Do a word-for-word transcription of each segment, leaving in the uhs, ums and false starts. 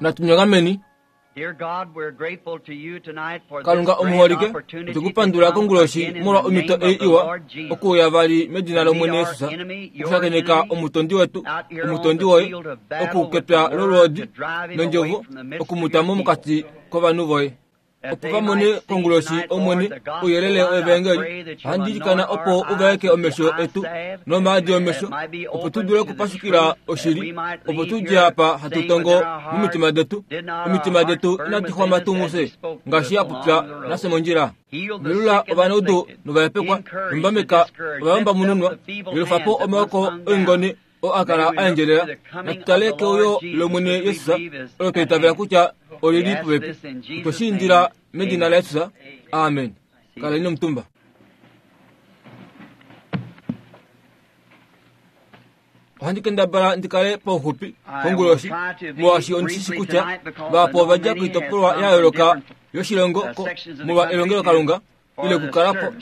Natunyongameni. Kalunga omuholike, otukupandula konguloshi molwa omhito ei iwa okuuya vali medina lOmwene Jesus, okushakeneka omutondi wetu, omutondi woye, okukepya lolwoodi nondjovo okumutamo mokati kovanhu voye. Opo vamone konguloshi Omwene ouyelele wevangeli, ohandi ilikana opo uvaeke omesho etu nomaadi omesho, opo tu dule okupashukila oshili, opo tu dje apa hatu tongo momitima detu. Omitima detu inadi xwama tuu mufye, ngaashi a popya nafye mondjila. Velula ovanaudu novahepekwa, nombameka ovayombamununwa, yelufa po omaoko oingone oo a kala a endjelela. Natu tale keuyo lOmwene Jesus, olo twa itavela kutya olili popepi. Otwe shi indila medina laJesus. Amen. Kaleni omutumba. Ohandi kendabala ndi kale pauxupi konguloshi, molwaashi ondi shi shi kutya vahapu ova dja koitopolwa ya yooloka yoshilongo molwa elongelokalunga ile okukala po.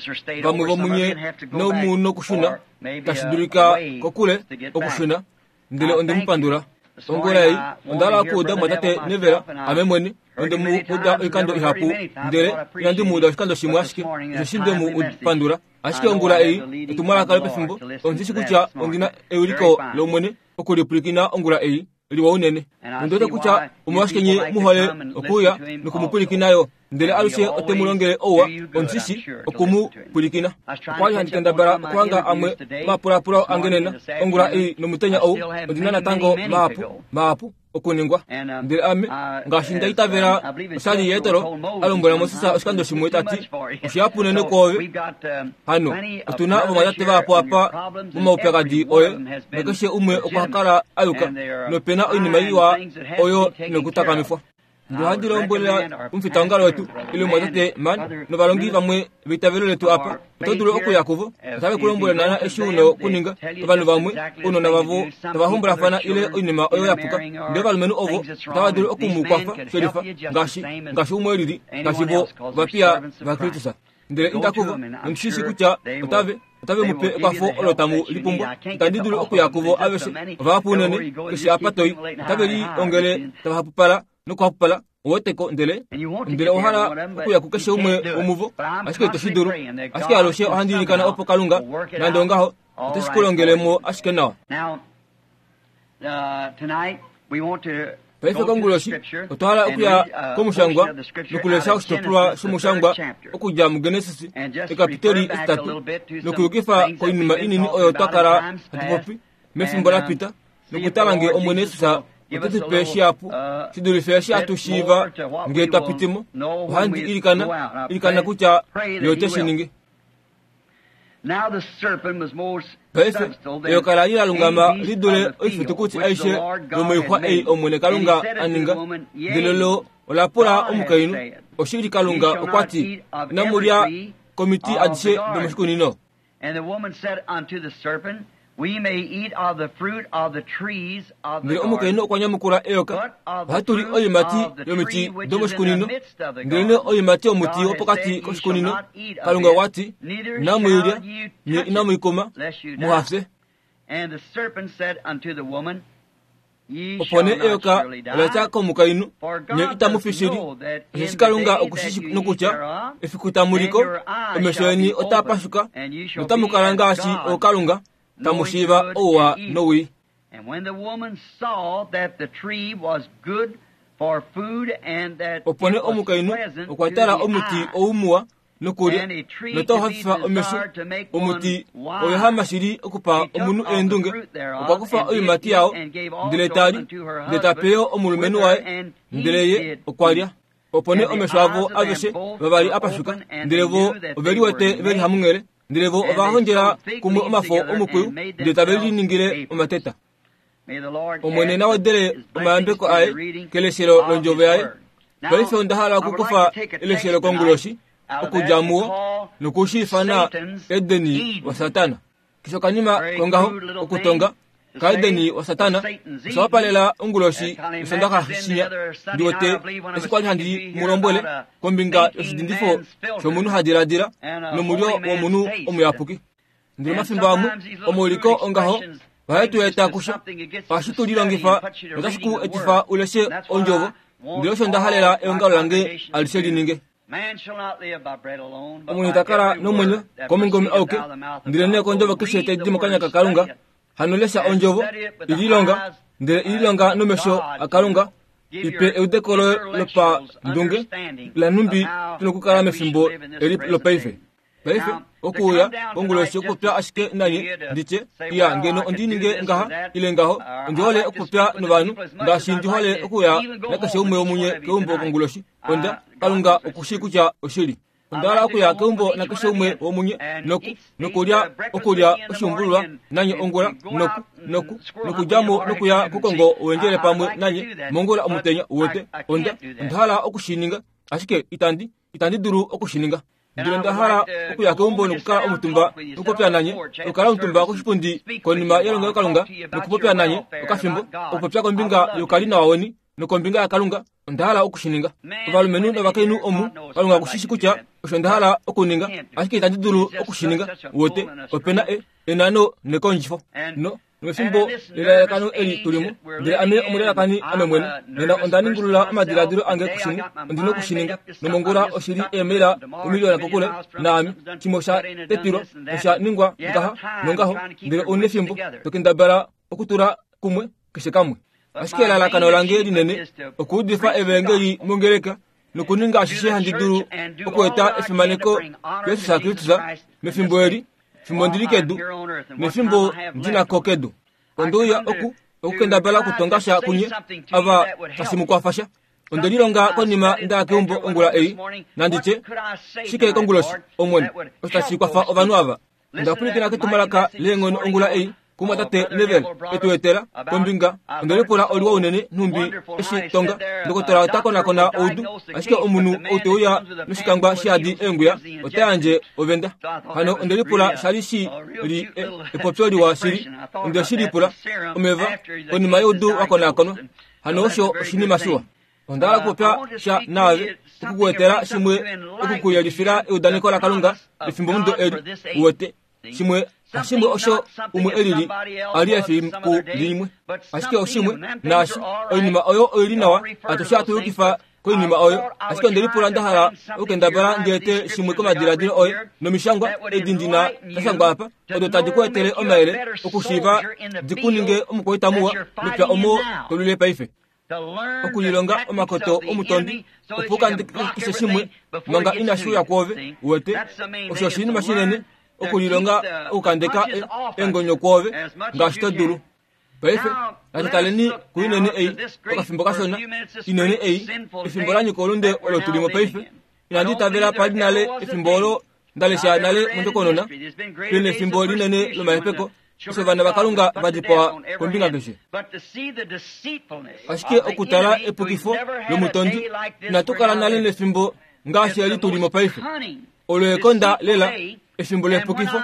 Vamwe vomunye nomu nokushuna, tashi dulika kokule okushuna, ndele onde mu pandula. Ongula ei onda hala okuuda omumwatate Neville, ame mwene onde mu uda oikando ihapu, ndele inandi mu uda oshikando shimwe ashike, osheshi nde mu pandula. Ashike ongula ei etumwalaka lopefimbo, ondi shi kutya ondi na ewiliko lOmwene okulipwilikina ongula ei liwa unene. Ondi wete kutya omolwashike nye mu hole okuuya nokumupwilikina yo, ndele alushe ote mu longele ouwa, ondi shi oku mu pwilikina. Okwa li handi kendabala okuhanga amwe omapulapulo ange nena, ongula ei nomutenya ou, ondi na natango mahapu, mahapu okuningwa. Ndele ame, ngaashi nda itavela oshali Jetro a lombwela Moses oshikando shimwe ta ti, oshihapu unene kwoove. Hano, otu na ovamwatate vahapu apa momaupyakadi oye, nakeshe umwe okwa kala a yuka, nope na oinima iwa oyo nokutakamifwa. Ndele ohandi lombwele omufitaongalo wetu ile omumwatate Man novalongi vamwe veitavelo letu apa, oto dulu okuya kuvo, otave ku lombwele naana eshi u na okuninga. Ovanhu vamwe, ounona vavo tava hombolafana ile oinima oyo ya puka, ndele ovalumenhu ovo otava dulu oku mu kwafa shelifa ngaashi ngaashi umwe lili, ngaashi vo ovapiya vaKristus. Ndele inda kuvo, nondi shi shii kutya otave otave mu pe ekwafo olo tamu lipumbwa. Itandi dulu okuya kuvo aveshe, ovahapu unene, keshe apa toi, otave liongele tava hapupala nokuhapupala. Oweteko, ndele ndele owa hala okuya kukeshe umwe womuvo, ashike ito shi dulu. Ashike alushe ohandi ilikana opo Kalunga, nande ongaho, ote shi ku longele mo ashike nawa. Paife konguloshi otwa hala okuya komushangwa nokulesha oshitopolwa shomushangwa okudja muGenesis ekapiteli etitatu, nokuyukifa koinima inini oyo twa kala hatu popi mefimbo la pita, nokutala ngee Omwene Jesus ote tu pe shihapu shi dulife eshi hatu shiiva ngee twa piti mo. Ohandi ilikana ilikana kutya ye ote shi ningi. Paife eyoka la li la lungama li dule oifitukuti aishe yomoixwa ei Omwene Kalunga a ninga, ndele lo ola pula omukainhu, oshili Kalunga okwa ti, inamu lya komiti adishe domoshikunino. Ndele omukainhu okwa nyamukula eyoka, ohatu li oiimati yomiti domoshikunino, ndelenee oiimati yomuti wopokati koshikunino, Kalunga okwa ti, inamu i lya, nye inamu i kuma, muha fye. Opo nee eyoka ola tya komukainhu, nye itamu fi shili, osheshi Kalunga oku shi shii nokutya, efiku tamu li ko, omesho eni otaa pashuka, notamu kala ngaashi ookalunga, tamu shiiva ouwa nowii. Opo nee omukainhu okwa tala omuti ou muwa nokulya, notau hafifa omesho. Omuti oyehama shili okupa omunhu eendunge. Okwa kufa oiimati yao, ndele ta li, ndele ta pe yo omulumenhu waye, ndele ye okwa lya. Opo nee omesho avo aveshe vavali a pashuka, ndele vo ove liwete ve li hamunghele, ndele vo ova hondjela kumwe omafo omukwiyu, ndele tave liningile omateta. Omwene na wedele omayambeko aye keleshelo londjovo yaye. Paife onda hala okukufa eleshelo konguloshi okudja muwo nokushiifana Edeni waSatana. Keshe okanima kongaho okutonga kaEdeni waSatana osha wapalela onguloshi yOsondaxa shinya. Ndi wete eshi kwali handi mu lombwele kombinga yoshidindifo shomunhu ha diladila nomulyo womunhu omuyapuki. Ndele omafimbo amwe omauliko ongaho Ohae tu eta kusha ohashi tu lilongifa notashi ku etifa uleshe ondjovo ndele osho nda halela eongalo lange alishe lininge. Omunhu ta kala nomwenyo komungome auke ndele nee kondjovo keshe tai di mokanya kaKalunga. Hano lesha ondjovo ililonga ndele ililonga nomesho aKalunga ipe eudeko lopandunge lanhumbi tuna okukala mefimbo eli lopaife. Paife okuuya konguloshi okupopya ashike nanye nditye iya ngeno ondi ninge ngaha ile ngaho ondi hole okupopya novanhu ngaashi ndi hole okuya nakeshe umwe womunye keumbo konguloshi. Onda Kalunga okushi kutya oshili. Onda hala okuya keumbo nakeshe umwe womunye noku nokulya okulya oshuumbululwa nanye ongula noku noku nokudjamo nokuya kokongo wendjele pamwe nanye mongula omutenya uwete. Onda onda hala okushininga ashike itandi itandi dulu okushininga. Ndele nda hala okuya keumbo nokukala omutumba nokupopya nanye, okukala omutumba koshipundi konima yelongelokalunga nokupopya nanye okafimbo, okupopya kombinga yokalinawa weni nokombinga yaKalunga. Onda hala okushininga. Ovalumenhu novakainhu omu Kalunga okushishi kutya osho nda hala okuninga ashike itandi dulu okushininga. Uwete opena e enano nekondjifo no nomefimbo lelalakano eli tulimo. Ndele ame omulalakani ame mwene nena onda ningulula omadiladilo ange kushimwe ondina okushininga nomongula oshili eemaila omiliona kokule naame shimwe osha tetilwa nosha ningwa ngaha nongaho ndele ouna efimbo tokendabala okutula kumwe keshe kamwe. Ashike elalakano lange linene okuudifa evangeli mongeleka nokuninga ashishe handi dulu okueta efimaneko Jesus Kristus mefimbo eli fimbo ndili kedu nefimbo ndinako kedu. Ondouya oku okukendabala okutonga sha kunye ava tashi mu kwafasha. Onde lilonga konima nda keumbo ongula ei nanditye shike konguloshi omwene osho tashi kwafa ovanhu ava. Onda pwilikina ketumwalaka leenghono ongula ei kumwatate Neville etu etela kombinga. Onde lipula oliwa unene nhumbi eshi tonga ndokotola ota konakona oudu ashike omunhu ou te uya noshikangwa shiyadi eenguya ota yandje ovenda. Hano onde lipula shali shi li epopyo liwa shili. Onde shi lipula omeva konima youdu wa konakonwa. Hano osho oshinima shiwa. Onda hala okupopya sha naave okukuetela shimwe okukuyelifila eudaneko laKalunga efimbo mudo eli uwete shimwe hashimwe osho umwe elili ali efiku limwe ashike oshimwe naashi oinima oyo oili nawa atushe atuyukifa koinima oyo ashike onde lipula nda hala okukendabala ndiete shimwe komadiladilo oye nomishangwa edi ndina dashangwa apa odo tadi ku etele omayele okushiiva dikuninge omukwaita muwa mepya omo tolwile paife. Okulilonga omakoto omutondi opo ukandikise shimwe manga inashi uya kwoove uwete osho oshinima shinene okulilonga okukandeka engonyo kwoove ngaashi to dulu. Paife natutaleni kuinene ei okafimbo kashona inene ei efimbo lanyika olunde olo tulimo paife. Inandi itavela pali nale efimbo olo ndalesha nale mondjokonona pena efimbo linene lomahepeko osho ovana vaKalunga va dipawa kombinga keshe. Ashike okutala epukifo lomutondi inatu kala nale nefimbo ngaashi eli tulimo paife. Olo ekonda lela efimbo lepukifo.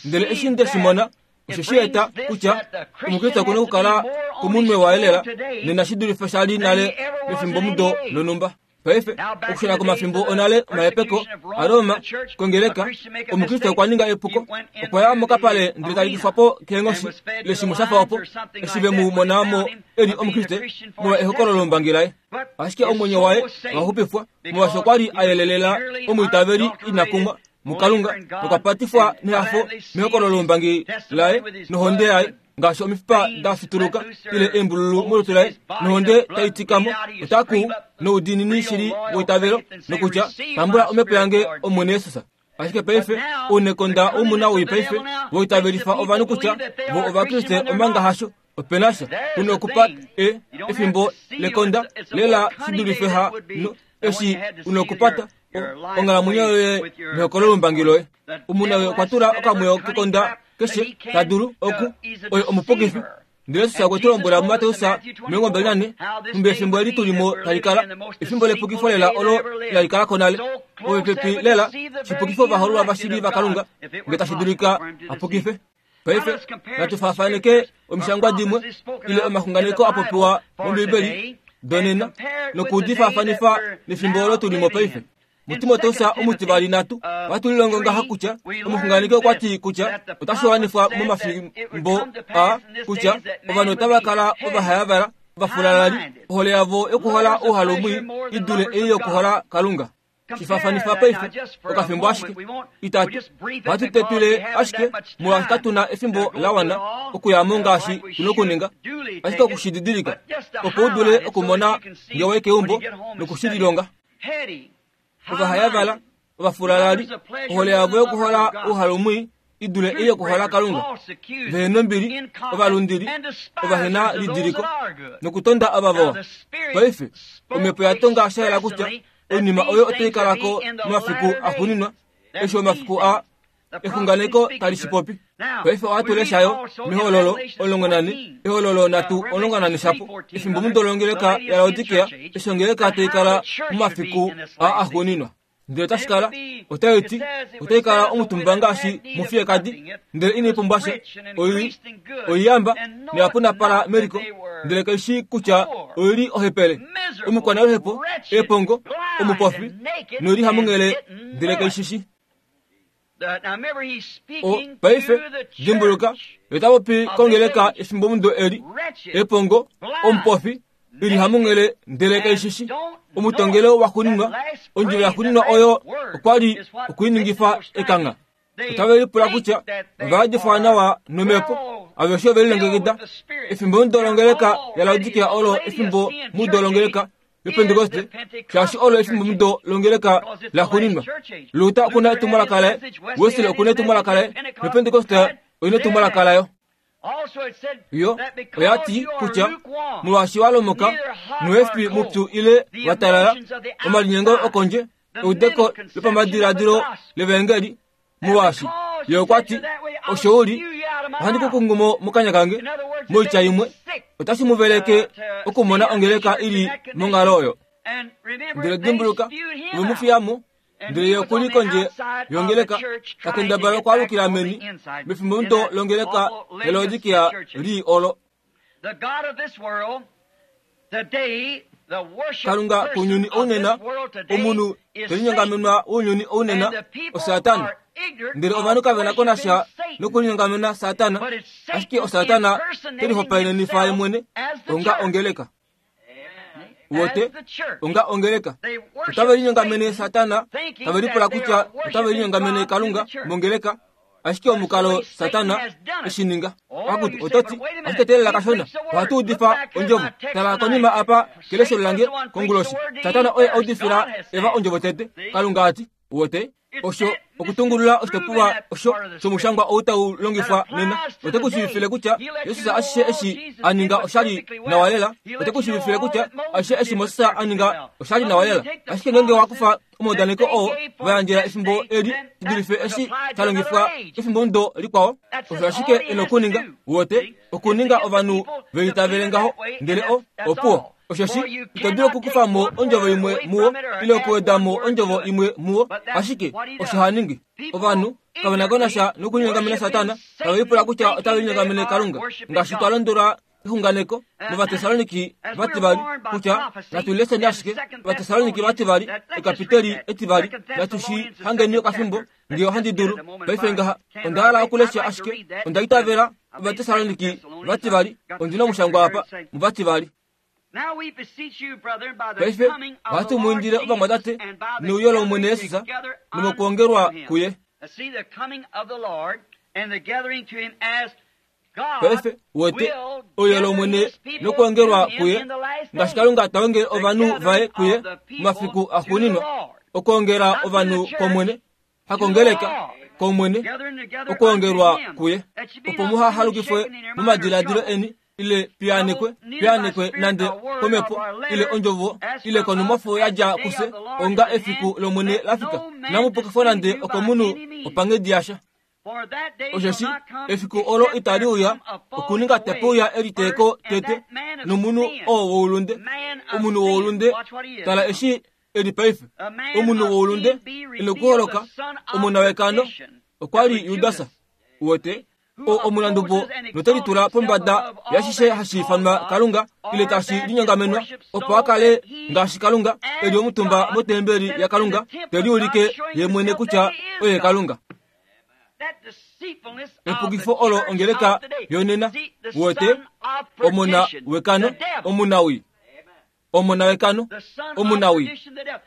Ndele eshi nde shi mona osho shi eta kutya omukriste okuna okukala komunwe waye lela nena shi dulife shali nale mefimbo mudo lonumba. Paife okushuna komafimbo onale omahepeko aRoma kongeleka omukriste okwa ninga epuko okwa ya mokapale ndele talikifwa po keenghoshi ile shimwe shafa opo eshi ve mu monamo eli omukriste molwa ehokololo lombangi laye. Ashike omwenyo waye owa xupifwa molwaashi okwa li a yelelela omwiitaveli ina kumwa muKalunga nokwa patifwa nehafo mehokololo lombangi laye nohonde yaye ngaashi omifipa da fituluka ile eembululu molutu laye nohonde tai tikamo otaku noudiinini shili weitavelo nokutya tambula omhepo yange Omwene Jesus. Ashike paife ounekonda oumuna woi paife voitavelifa ovanhu kutya vo ovakriste omanga hasho opena sha kuna okupa e efimbo lekonda lela shidulife ha no eshi una okupata onghalamwenyo yoye nehokololo lombangi loye. Omuna oyo okwa tula okamweyo kekonda keshe ta dulu oku oyo omupukifi. Ndele Jesus okwe tu lombwela muMateus omilongo mbali nane nhumbi efimbo eli tulimo tali kala efimbo lepukifo lela olo inali kalako nale popepi lela shipukifo ovahoololwa vashili vaKalunga nge tashi dulika apukife. Paife natu faafaneke omishangwa dimwe ile omaxunganeko a popiwa mOmbibeli donena nokudifaafanifa nefimbo olo tulimo paife. muTimoteus omutivali nhatu ohatu lilongo ngaha kutya omuxunganeki okwa ti kutya otashi wanifwa momafimbo a kutya ovanhu otava kala ovahayavala ovafulalali ohole yavo yokuhola ouhalumwi i dule ei yokuhola Kalunga. Shifafanifa paife okafimbo ashike itatu ohatu tetwile ashike molwaashi katuna efimbo la wana okuyamo ngaashi tuna okuninga ashike okushididilika opo u dule okumona nge wayi keumbo nokushililonga. Ovahayavala ovafulalali ohole yavo yokuhola ouhalumwi i dule ei yokuhola Kalunga, vehena ombili, ovalundili, ovahena lidiliko nokutonda ava vawa. Paife omhepo ya tonga sha yela kutya oinima oyo otai kalako momafiku axuuninwa, eshi omafiku a exunganeko tali shi popi. Paife ohatu leshayo mehololo omulongo nane, ehololo nhatu omulongo nane shapo, efimbo mudo longeleka yaLaodikea, eshi ongeleka tai kala momafiku a axuuninwa. Ndele otashi kala, otai ti, otai kala omutumba ngaashi mufiyekadi, ndele inai pumbwa sha, oiyamba noyapunapala meliko, ndele kaishi kutya oili ohepele, omukwanoluhepo, epongo, omupofi, noili hamunghele, ndele kaishishi. O paife dimbuluka, ota popi kongeleka efimbo mudo eli, epongo, omupofi, ili hamunghele, ndele kaishishi. Omutongelo waxuuninwa, ondjila yaxuuninwa oyo okwa li okuiningifa ekangha. Otave lipula kutya ovayadifwa nawa nomhepo, aveshe ove lilongekida. Efimbo mudo longeleka yaLaodikea olo efimbo mudo longeleka yoPentekoste, shaashi olo efimbo mudo longeleka laxuuninwa. Luther okuna etumwalaka laye, Wesley okuna etumwalaka laye, noPentekoste oina etumwalaka layo. Yo oya ti kutya molwaashi wa lomoka noefi mupyu ile wa talala, omalinyengo okondje, eudeko lopamadiladilo levangeli, molwaashi ye okwa ti osho uli, ohandi ku kungumo mokanya kange. Moitya imwe, otashi mu veleke okumona ongeleka ili monghalo oyo. Ndele dimbuluka, ove mu fiyamo, ndele ye okuli kondje yongeleka, ta kendabala okwaalukila meni mefimbo mudo longeleka yaLaodikea lii olo. Kalunga kounyuni ounena, omunhu telinyongamenwa wounyuni ounena, oSatana. Ndele ovanhu kave na ko nasha nokulinyongamena Satana, ashike oSatana telihopaenenifa ye mwene onga ongeleka. Wote onga ongeleka otave linyongamene Satana, tave lipula kutya otave linyongamene Kalunga mongeleka, ashike omukalo Satana eshininga. Akuti ototi ashike telela kashona, ohatu udifa ondjovo. Tala konima apa kelesho lange konguloshi, Satana oye audifila Eva ondjovo tete, Kalunga ati wote osho okutungulula oshitopolwa osho shomushangwa ou tau longifwa nena. Ote ku shiivifile kutya Jesus ashishe eshi a ninga oshali nawa lela. Ote ku shiivifile kutya ashishe eshi Moses a ninga oshali nawa lela. Ashike ngeenge wa kufa omaudaneko oo va yandjela efimbo eli shidulife eshi sha longifwa efimbo mudo likwao, osho ashike e na okuninga. Wote okuninga ovanhu ve litavele ngaho, ndele o opuwo. Oshoshi ito dulu okukufa mo ondjovo imwe muwo ile okuweda mo ondjovo imwe muwo, ashike osho ha ningi. Ovanhu kave na ko nasha nokulinyongamena Satana, tave lipula kutya otave linyongamene Kalunga, ngaashi twa londolwa exunganeko mOvatesaloniki vativali kutya natu leseni ashike Ovatesaloniki vativali ekapiteli etivali, natu shi hangeni okafimbo nge ohandi dulu. Paife ngaha onda hala okulesha ashike onda itavela Ovatesaloniki vativali, ondina omushangwa apa muvativali. Paife ohatu mu indile ovamwatate neuyo lOmwene Jesus nomokuongelwa kuye. Paife wote ouyo lOmwene nokuongelwa kuye, ngaashi Kalunga ta ongele ovanhu vaye kuye momafiku axuuninwa, okuongela ovanhu kOmwene, hakongeleka kOmwene, okuongelwa kuye, opo muha halukifwe momadiladilo eni ile piyanekwe piyanekwe nande komhepo ile ondjovo ile konumwafo yadja kufye onga efiku lOmwene lafika. Inamu nande okomunhu opanghedi yasha. Osheshi efiku olo itali uya okuninga tepe uya eliteeko tete nomunhu oo woulunde, omunhu woulunde, tala eshi eli paife, omunhu woulunde inokuholoka, omona wekano okwa li Judas. Wote oo omunandubo note litula pombada yashishe hashi ifanwa Kalunga ile tashi linyongamenwa opo a kale ngaashi Kalunga eli omutumba motembeli yaKalunga te liulike ye mwene kutya oye Kalunga. Epukifo olo ongeleka yonena wote omona wekano omunawi omona wekano omunawi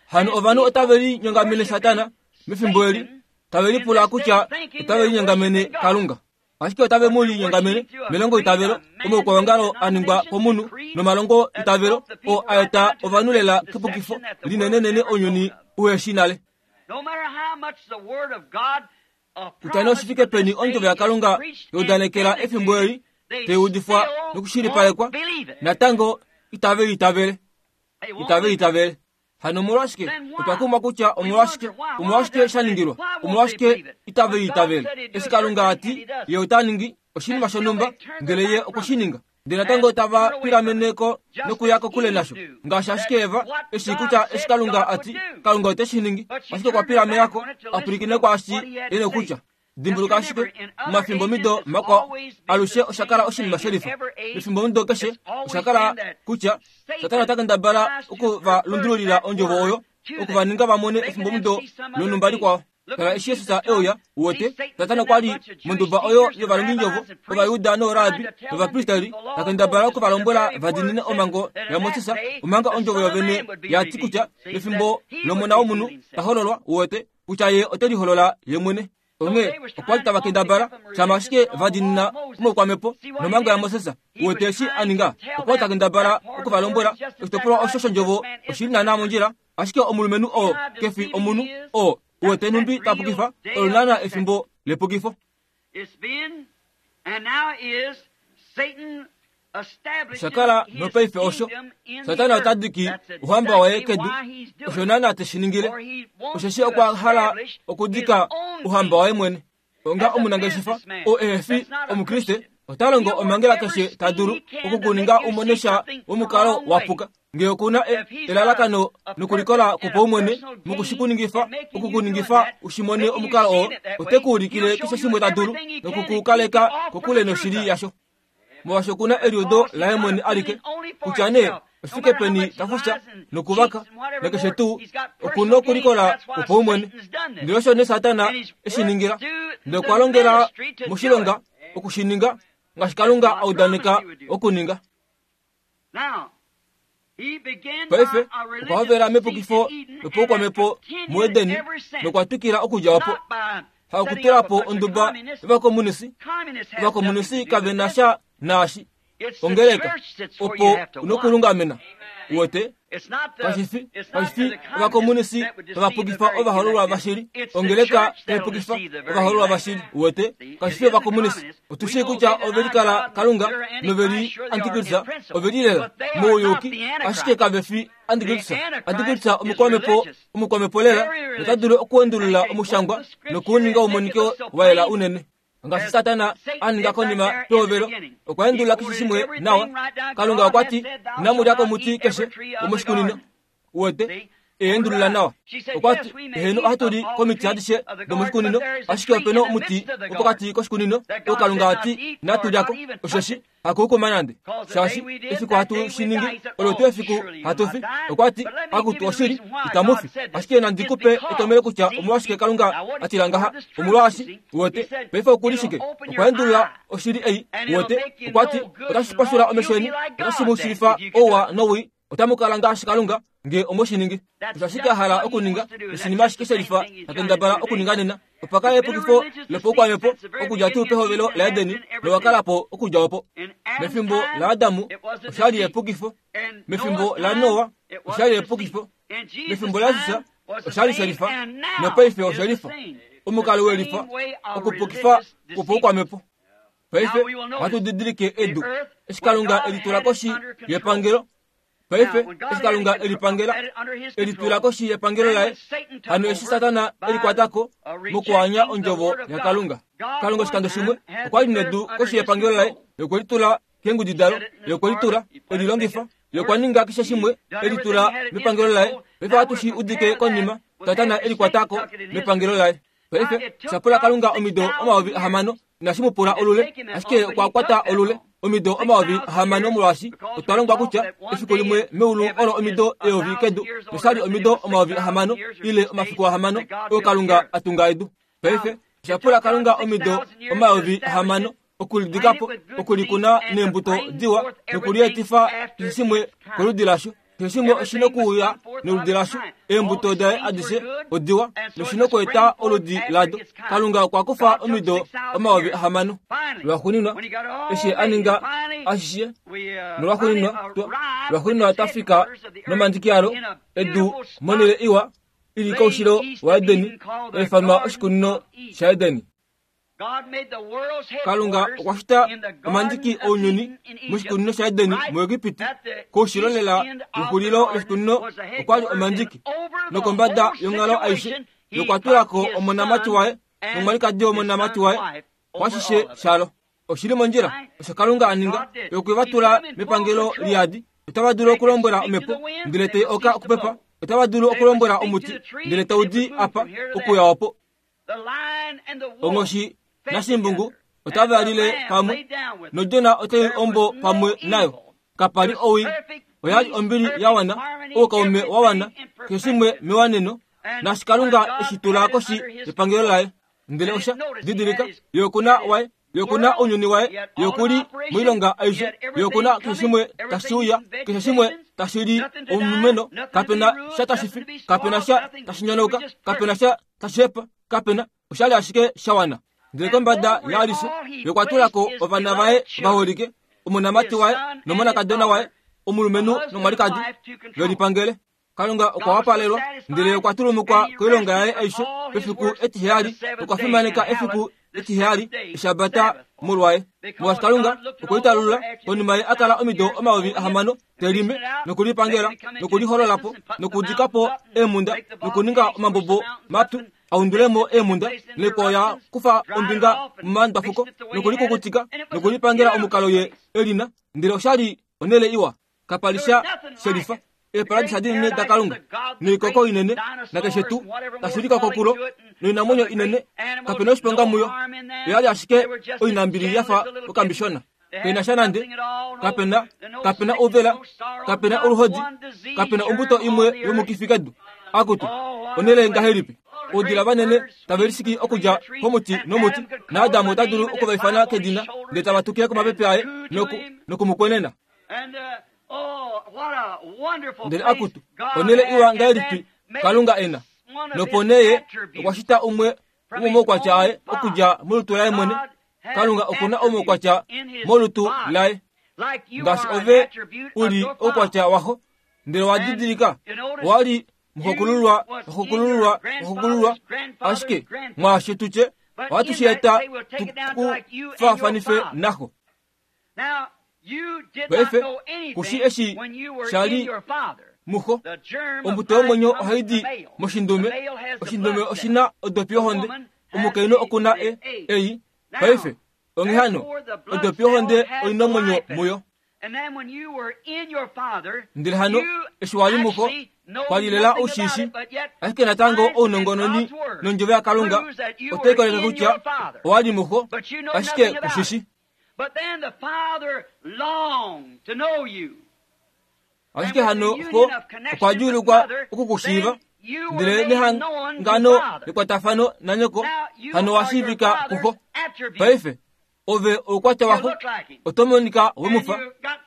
hano ovanhu otave linyongamene Satana mefimbo eli tave lipula kutya otave linyongamene Kalunga ashike otave mu linyongamene melongo itavelo omaukwawongalo a ningwa komunhu nomalongo itavelo oo a eta ovanhu lela kepukifo linenenene ounyuni uheshi nale. Kutya nee oshifike peni ondjovo yaKalunga yaudanekela efimbo eli taiudifwa nokushilipalekwa natango itave liitavele itave liitavele. Hano omolwashike otwa kumwa kutya omolwashike omolwashike sha ningilwa omolwashike itave liitavele eshi Kalunga ati ye ota ningi oshinima shonhumba ngele ye okweshininga ndele natango tava pilameneko nokuya kokule nasho ngaashi ashike Eva eshi kutya eshi Kalunga ati Kalunga ote shi ningi ashike okwa pilamelako apwilikine kwaashi e nokutya. Dimbuluka ashike mumafimbo mido makwao alushe osha kala oshinima shelifa mefimbo mido keshe osha kala kutya Satana ota kendabala oku va lundululila ondjovo oyo oku va ninga va mone efimbo mido lonhumba likwao. Tala eshi Jesus e uya wote Satana okwa li monduba oyo yovalongindjovo Ovayuda noorabi novapristeri ta kendabala oku va lombwela va diinine omhango yaMoses omanga ondjovo yovene yati kutya mefimbo lomona womunhu ta hololwa wote kutya ye ote liholola ye mwene. Onghee okwa li tava kendabala shama ashike va diinina omaukwamhepo nomhango yaMoses wote eshi a ninga okwa li ta kendabala oku va lombwela oshitopolwa osho shondjovo oshili naana mondjila ashike omulumenhu oo kefi omunhu oo wote nhumbi ta pukifa olo naana efimbo lepukifo. Osha kala nopaife osho Satana ota diki ouhamba waye kedu osho naana teshi ningile osheshi okwa hala okudika ouhamba waye mwene. Onga omunangeshefa oo ehe fi Omukriste ota longo omhangela keshe ta dulu okukuninga umone sha womukalo wa puka ngee okuna elalakano nokulikola kwopaumwene mokushikuningifa okukuningifa ushimone omukalo oo ote ku ulikile keshe shimwe ta dulu nokukukaleka kokule noshili yasho. Molwaashi okuna eliudo laye mwene alike kutya nee oshifike peni ta fufya nokuvaka nakeshe tuu okuna okulikola kwopaumwene. Ndele osho nee Satana eshi ningila ndele okwa longela moshilonga okushininga ngaashi Kalunga a udaneka okuninga. Paife okwa hovela mepukifo lopaukwamhepo muEdeni nokwa twikila okudja opo hakutula po onduba yovakomunisi. Ovakomunisi kave na sha naashi ongeleka opo unokulungamena wote kashifi kashifi ovakomunisi tava pukifa ovahololwa vashili ongeleka taipukifa ovahololwa vashili wote kashifi ovakomunisi. Otushii kutya ove likala Kalunga noveli Antikristo ove lilela mouyuki ashike kave fi Antikristo. Antikristo omukwamhepo omukwamhepo lela nota dulu okuendulula omushangwa nokuuninga umonike wa yela unene. Ngaashi Satana a ninga konima pehovelo okwa endulula keshe shimwe nawa. Kalunga okwa ti inamu lya komuti keshe womoshikunino wote eendulula nawa. Okwa ti eheno ohatu li komiti adishe domoshikunino ashike opena omuti wopokati koshikunino oo Kalunga ati inatu lyako osheshi hakuukuma nande shaashi efiku hatu shi ningi olo tuu efiku hatu fi. Okwa ti akutu oshili itamu fi ashike nandi kupe etomhelo kutya omolwashike Kalunga atila ngaha omolwaashi wote paife okuli shike okwa endulula oshili ei wote okwa ti otashi pashula omesho eni otashi mu shilifa ouwa nowii otamu kala ngaashi Kalunga ngee omoshiningi. Osho ashike a hala okuninga oshinima ashike shelifa ta kendabala okuninga nena. Opa kala epukifo lopaukwamhepo okudja tuu pehovelo laEdeni nowa kala po okudja opo. Mefimbo laAdamu osha li epukifo, mefimbo laNoa osha li epukifo, mefimbo laJesus osha li shelifa nopaife oshelifa. Omukalo welifa okupukifa kwopaukwamhepo. Paife ohatu didilike edu eshi Kalunga elitula koshi yepangelo. Paife eshi Kalunga elipangela elitula koshi yepangelo laye hano eshi Satana elikwatako mokuanya ondjovo yaKalunga. Kalunga oshikando shimwe okwa li nedu koshi yepangelo laye yokwe litula keengudi dalo yokwe litula elilongifa yokwa ninga keshe shimwe elitula mepangelo laye. Paife ohatu shi udike konima Satana elikwatako mepangelo laye. Paife osha pula Kalunga omido omayovi ahamano Inashi mu pula olule, ashike okwa kwata olule omido omayovi ahamano molwaashi otwa longwa kutya efiku limwe meulu olo omido eyovi kedu noshali omido omayovi ahamano ile omafiku ahamano oyo Kalunga a tunga edu. Paife osha pula Kalunga omido omayovi ahamano okulidikapo, okulikuna neembuto diwa nokulietifa keshe shimwe koludi lasho. Keshe shimwe oshina okuuya noludi lasho. Eembuto daye adishe odiwa noshina okueta oludi lado. Kalunga okwa kufa omido omayovi ahamano. Lwaxuuninwa eshi a ninga ashishe nolwaxuuninwa lwaxuuninwa twa fika nomandiki alo edu monhele iwa ili koushilo waEdeni, eifanwa oshikunino shaEdeni. Kalunga okwa shita omandiki ounyuni moshikunino shaEdeni muEgipiti. Koushilo lela wexulilo loshikunino okwali omandiki, nokombada yonghalo aishe yokwa tulako omonamati waye nomwalikadi womonamati waye kwashishe shalo. Oshili mondjila osho Kalunga a ninga yokwe va tula mepangelo liyadi. Otava dulu okulombwela omhepo ndele tai oka okupepa, otava dulu okulombwela omuti ndele tau di apa okuya opo. Onghoshi nashimbungu otava lile pamwe, nodjona otai ombo pamwe nayo. Kapali owii, oyali ombili ya wana, oukaume wa wana, keshe shimwe mewaneno, naashi Kalunga eshi tula koshi yepangelo laye. Ndele osha didilika ye okuna waye, ye okuna ounyuni waye, ye okuli moilonga aishe, ye okuna keshe shimwe tashi uya, keshe shimwe tashi li omumeno, kapena sha tashi fi, kapena sha tashi nyonauka, kapena sha tashi hepa, kapena oshali ashike sha wana. Ndele kombada yaalishe yokwa tulako ovana vaye vaholike, omonamati waye nomonakadona waye, omulumenhu nomwalikadi, velipangele. Kalunga okwa wapalelwa, ndele okwa tulumukwa koilonga yaye aishe pefiku etiheyali, okwa fimaneka efiku etiheyali eshabata molwaye. Molwaashi Kalunga okwe litalulula konima ye a kala omido omayovi ahamano telime nokulipangela nokulihololapo nokudikapo eemhunda nokuninga omambobo mapyu aundulemo eemhunda noikwao ya kufa ombinga momandwafuko nokulikukutika nokulipangela omukalo ye elina. Ndele oshali onhele iwa, kapali sha shelifa. Eeparadisa dinene daKalunga noikoko inene nakeshe tuu tashi lika kokulo noinamwenyo inene, kapena oshiponga muyo. Oyali ashike oinambili yafa okambishona, kaina sha nande, kapena kapena ouvela, kapena oluhodi, kapena ombuto imwe yomukifi kedu. Akutu onhele ngahelipi! Oudila vanene tave lisiki okudja komuti nomuti, naAdamu ota dulu okuvaifana kedina ndele tava tukile komapepe aye noku nokumukwenena. Ndele akutu onhele iwa ngahelipi Kalunga ena! Nopo nee ye okwa shita umwe womomaukwatya aye okudja molutu laye mwene. Kalunga okuna omaukwatya molutu laye, ngaashi ove uli oukwatya waxo. Ndele wa didilika owali muxokululwa, muxokululwa, muxokululwa, ashike mwaasho tutye ohatu shi eta tukufaafanife naxo. Paife kushi eshi shali muxo. Ombuto yomwenyo ohai di moshindume, oshindume oshina odopi yohonde, omukainhu okuna e ei. Paife onghee hano odopi yohonde oina omwenyo muyo. Ndele hano eshi wali muxo kwali lela oushishi, ashike natango ounongononi nondjovo yaKalunga otai koleke kutya owali muxo, ashike kushishi. Ashike hano xo okwa djuulukwa okukushiiva, ndele nehangano lekwatafano nanyoko hano wa shiivika kuxo. Paife ove oukwatya waxo oto monika wemufa,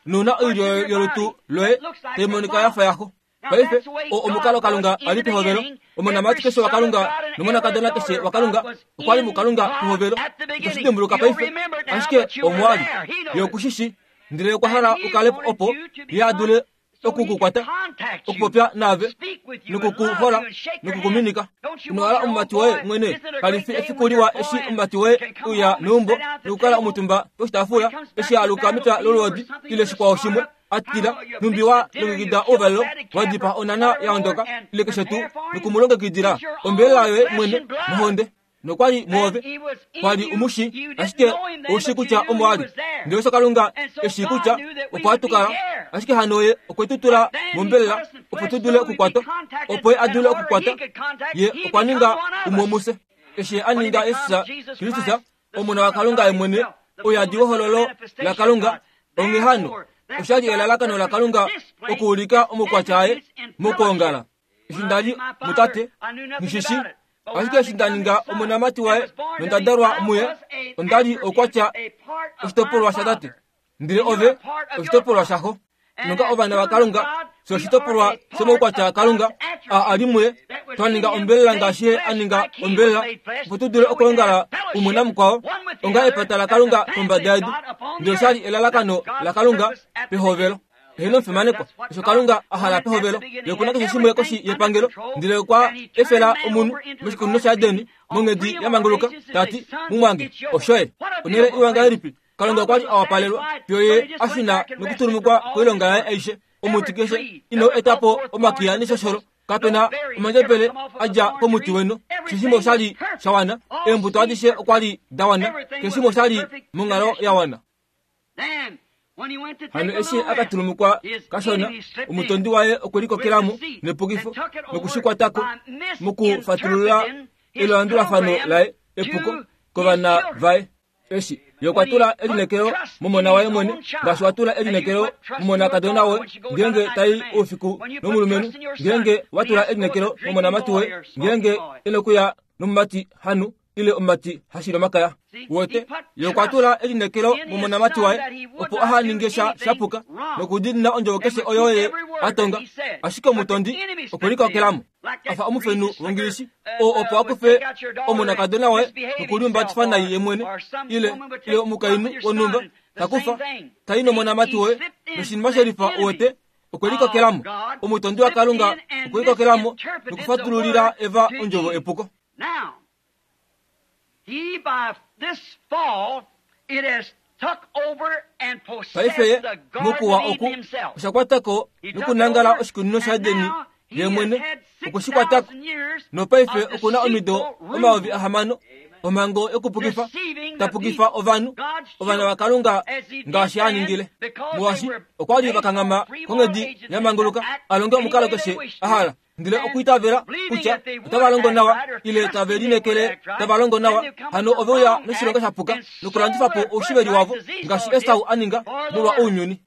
nouna oilyo yolutu loye tai monika yafa yaxo. Paife o omukalo Kalunga a li pehovelo. Omonamati keshe waKalunga nomonakadona keshe waKalunga okwa li muKalunga pehovelo. Itoshi dimbuluka paife, ashike omwali ye okushishi, ndele okwa hala ukale opo ye a dule okukukwata, okupopya naave, nokukuhola nokukuminika. Ino hala omumati woye mwene? Kali fi efiku liwa eshi omumati woye uya meumbo nokukala omutumba poshitaafula eshi aluka mepya lolwoodi ile shikwao shimwe atila, nhumbi wa longekida ouvalelo, wa dipaa onana ya ondoka ile keshe tuu, nokumulongekidila ombelela yoye mwene nohonde. Nokwali muove, kwali umushi, ashike oushi kutya omo ali. Ndele osho Kalunga eshi kutya opo hatukala, ashike hano ye okwe tu tula mombelela opo tu dule okukwatwa, opo ye a dule okukwata. Ye okwa ninga umwe womufye. Eshi a ninga Jesus Kristus, Omona waKalunga ye mwene, ouyadi wehololo laKalunga. Onghee hano, osha li elalakano laKalunga okuulika omaukwatya aye mokwoongala. Eshi nda li mutate, nghishishi, ashike eshi nda ninga omonamati waye nonda dalwa muye, onda li oukwatya oshitopolwa shatate, ndele ove oshitopolwa shaxo. Nonga ovana vaKalunga, sho oshitopolwa shomaukwatya aKalunga a ali muye, twa ninga ombelela ngaashi ye a ninga ombelela, opo tu dule okwoongala umwe namukwao onga epata laKalunga kombada yedu. Ndele osha li elalakano laKalunga pehovelo. Eheno omufimanekwa, osho Kalunga a hala pehovelo. Ye okuna keshe shimwe koshi yepangelo, ndele okwa efela omunhu moshikunino shaEdeni monghedi ya manguluka, ta ti, mumwange, oshoye. Onhele iwa ngahelipi Kalunga okwa li a wapalelwa fiyo ye a shuna nokutulumukwa koilonga yaye aishe. Omuti keshe ino eta po omakiya neshosholo, kapena omandjebele a dja komuti weno. Keshe shimwe osha li sha wana, eembuto adishe okwa li da wana, keshe shimwe osha li monghalo ya wana. Hano eshi a ka tulumukwa kashona, omutondi waye okwe likokelamo nepukifo nokushikwatako mokufatulula elandulafano laye epuko kovana vaye. Eshi ye okwa tula elineekelo momona waye mwene, ngaashi wa tula elineekelo momonakadona woye ngeenge tai oufiku nomulumenhu, ngeenge wa tula elineekelo momonamati woye ngeenge e nokuya nomumati hanu ile omumati hashili omakaya. Wote ye okwa tula elineekelo momonamati waye opo aha ninge sha shapuka nokudiinina ondjovo keshe oyo ye a tonga. Ashike omutondi okwe likokelamo afa omufenhu wongilishi oo opo akufe omonakadona waye nokuliumbatifa nai ye mwene, ile ile omukainhu wonhumba takufa tai nomonamati woye noshinima shelifa. Wote okwe likokelamo omutondi waKalunga okwe likokelamo nokufatululila Eva ondjovo epuko. He, by this fall, it has took over and Paife possessed the Garden mokuwa of oku Eden himself. oshakwatako He took nokunangala over, oshikunino and shaEdeni now he ye mwene has had okushikwatako. six thousand years Nopaife of okuna omido deceitful omayovi rule, ahamano omhango yokupukifa deceiving the tapukifa people, ovanhu God's ovana children, vaKalunga as he did ngaashi a then, ningile. because they Molwaashi were okwa li based vakanghama on free moral konghedi agency ya manguluka to act a longe any omukalo way they keshe wished a to, hala, ndele and okuitavela believing kutya that they would otava longo act nawa right or ile trusting tave they would lineekele act right, tava longo then nawa, they come hano with the ove uya wrong noshilonga act sha puka and nokulandifa sold po their oushiveli birthright wavo as Esau ngaashi did Esau a ninga for the molwa world. ounyuni.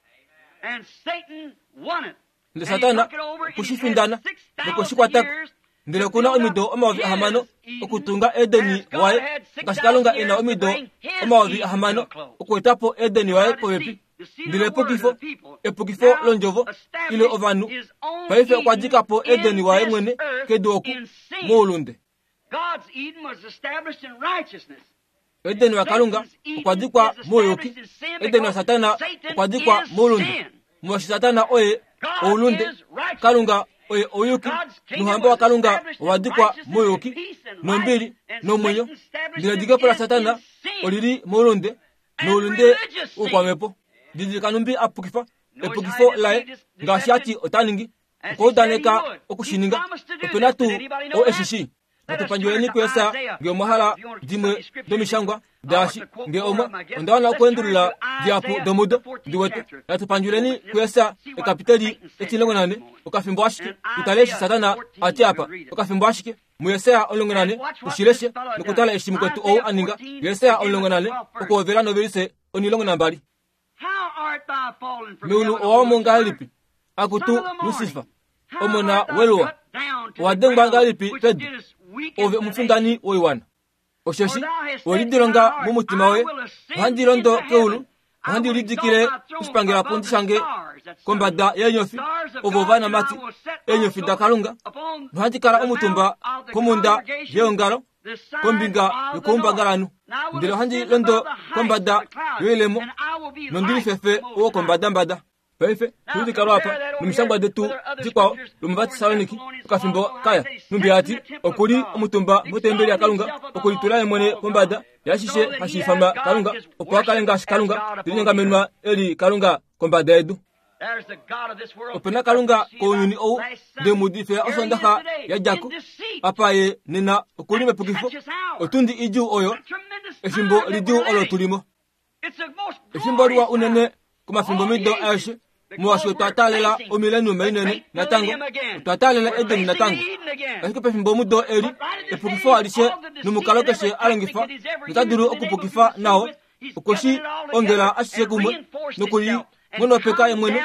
And Satan won it. Ndele And he Satana took it over and he had okushifindana six thousand nokushikwatako. years Ndele to okuna build up omido omayovi ahamano his Eden, okutunga Edeni as God waye had six ngaashi Kalunga thousand e na years to omido bring his omayovi Eden to ahamano a close. okuetapo Edeni waye By popepi. deceit, the seed of Ndele the word epukifo of the people, epukifo now londjovo ile established ovanhu his own paife okwa Eden dika po Edeni in waye this mwene earth kedu oku in sin. moulunde. God's Eden was established in righteousness. Edeni waKalunga Satan's Eden okwa dikwa is mouyuki, established in sin Edeni because waSatana Satan okwa dikwa is moulunde. sin. Molwaashi Satana oye God oulunde, is righteous. Kalunga oye ouyuki, God's kingdom nouhamba was waKalunga established in owa dikwa righteousness and mouyuki, peace and nombili life, and nomwenyo. Satan established Ndele it edikepo la in Satana sin olili moulunde and noulunde religious sin. woukwamhepo. Didilika numbi a pukifa Notice epukifo how he laye deceived his ngaashi ati deception. ota ningi As he said he okwaudaneka would. He okushininga. promised to do Opena this. Did tuu anybody know oo that? eshishi. Let us Natupandjuleni turn to kuyesa Isaiah. nge omwa hala If you want to dimwe study scriptures, domishangwa I want daashi to quote nge more omwa of my guests. onda wana Let's turn okuendulula to diapu Isaiah, domudo the fourteenth ndiwete. chapter. Natupandjuleni Just kuyesa see what ekapiteli Satan said etilongo nane this morning. okafimbo ashike And tutale eshi Isaiah Satana fourteen, ati apa we'll read it. okafimbo ashike muYesaya omulongo nane And watch what ushileshe this fellow done. nokutala eshi mukwetu ou Isaiah a ninga. fourteen, Yesaya beginning omulongo with the nane twelfth verse. okuhovela novelise onilongo nambali. How art thou fallen from Meulu heaven, O owamo Lucifer, ngahelipi son akutu of the morning? Lusifa How omona art thou weluwa cut down to the owa dengwa ground, ngahelipi which pedu didst weaken ove the omufindani nations? woiwana. For Osheshi thou hast said in thy welidilonga heart, mumutima I woye, will ascend ohandi londo into keulu, heaven. I ohandi will lidikile exalt my throne oshipangelapundi above the shange stars, that's sun. kombada yeenyofi, Stars of ovo God, and I ovanamati will set eenyofi also daKalunga, upon nohandi kala the omutumba mount of the komhunda congregation, yeongalo the side kombinga of the north. yokoumbangalanhu. And I will Ndele ohandi ascend londo above the heights of kombada the clouds, yoilemo and I will be nondili like fefe the Most owo High. kombadambada. Paife tulidika apa nomishangwa detu dikwao lomuvatesaloniki okafimbo kaya numbi ati okuli omutumba motembeli yaKalunga okulitula ye mwene pombada yashishe hashi ifanwa Kalunga opo akale ngaashi Kalunga telinyongamenwa eli Kalunga kombada yedu. There's the God of this world. Opena Kalunga kounyuni ou ndemudifela Here he is osondaxa today, ya djako in deceit. apa ye nena okuli mepukifo otundi idjuu oyo A tremendous efimbo time that lidjuu we're olo living. tulimo. It's the most Efimbo liwa glorious unene time komafimbo of all mido the aeshe ages, Molwaashi otwa taalela omileniuma inene natango, otwa taalela Eden natango. Ashike pefimbo mudo eli, epukifo alishe nomukalo keshe a longifa nota dulu okupukifa nao, okwe shi ongela ashishe kumwe nokulinghonopeka ye mwene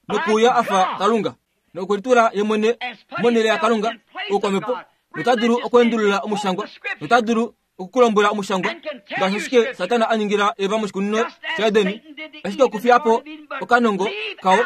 nokuuya a fa Kalunga, nokulitula ye mwene monhele yaKalunga oukwamhepo, nota dulu okweendulula omushangwa, nota dulu okukulombwela omushangwa ngaashi ashike Satana a ningila Eva moshikunino shaEdeni, ashike okufiya po okanongo kawo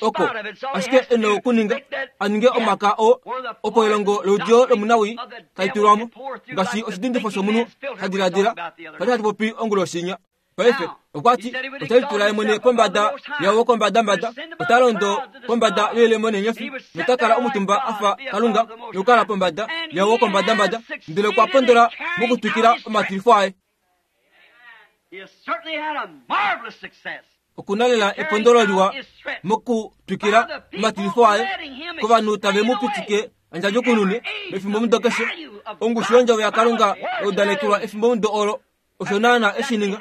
oko ashike e na okuninga a ninge omaka oo opo elongo loudiyo lomunawii tali tulwa mo ngaashi oshidindifo shomunhu ha diladila pali hatu popi onguloshinya. Paife okwa ti ota litula ye mwene pombada yawo kombadambada, ota londo pombada yoilemo neenyofi, nota kala omutumba a fa Kalunga nokukala pombada yawo kombadambada, ndele okwa pondola mokutwikila omatilifo aye. Okuna lela epondolo liwa mokutwikila omatilifo aye kovanhu tave mu pitike andjadjukunune mefimbo mudo keshe. Ongushu yondjovo yaKalunga yaudalekelwa efimbo mudo olo osho naana eshi ninga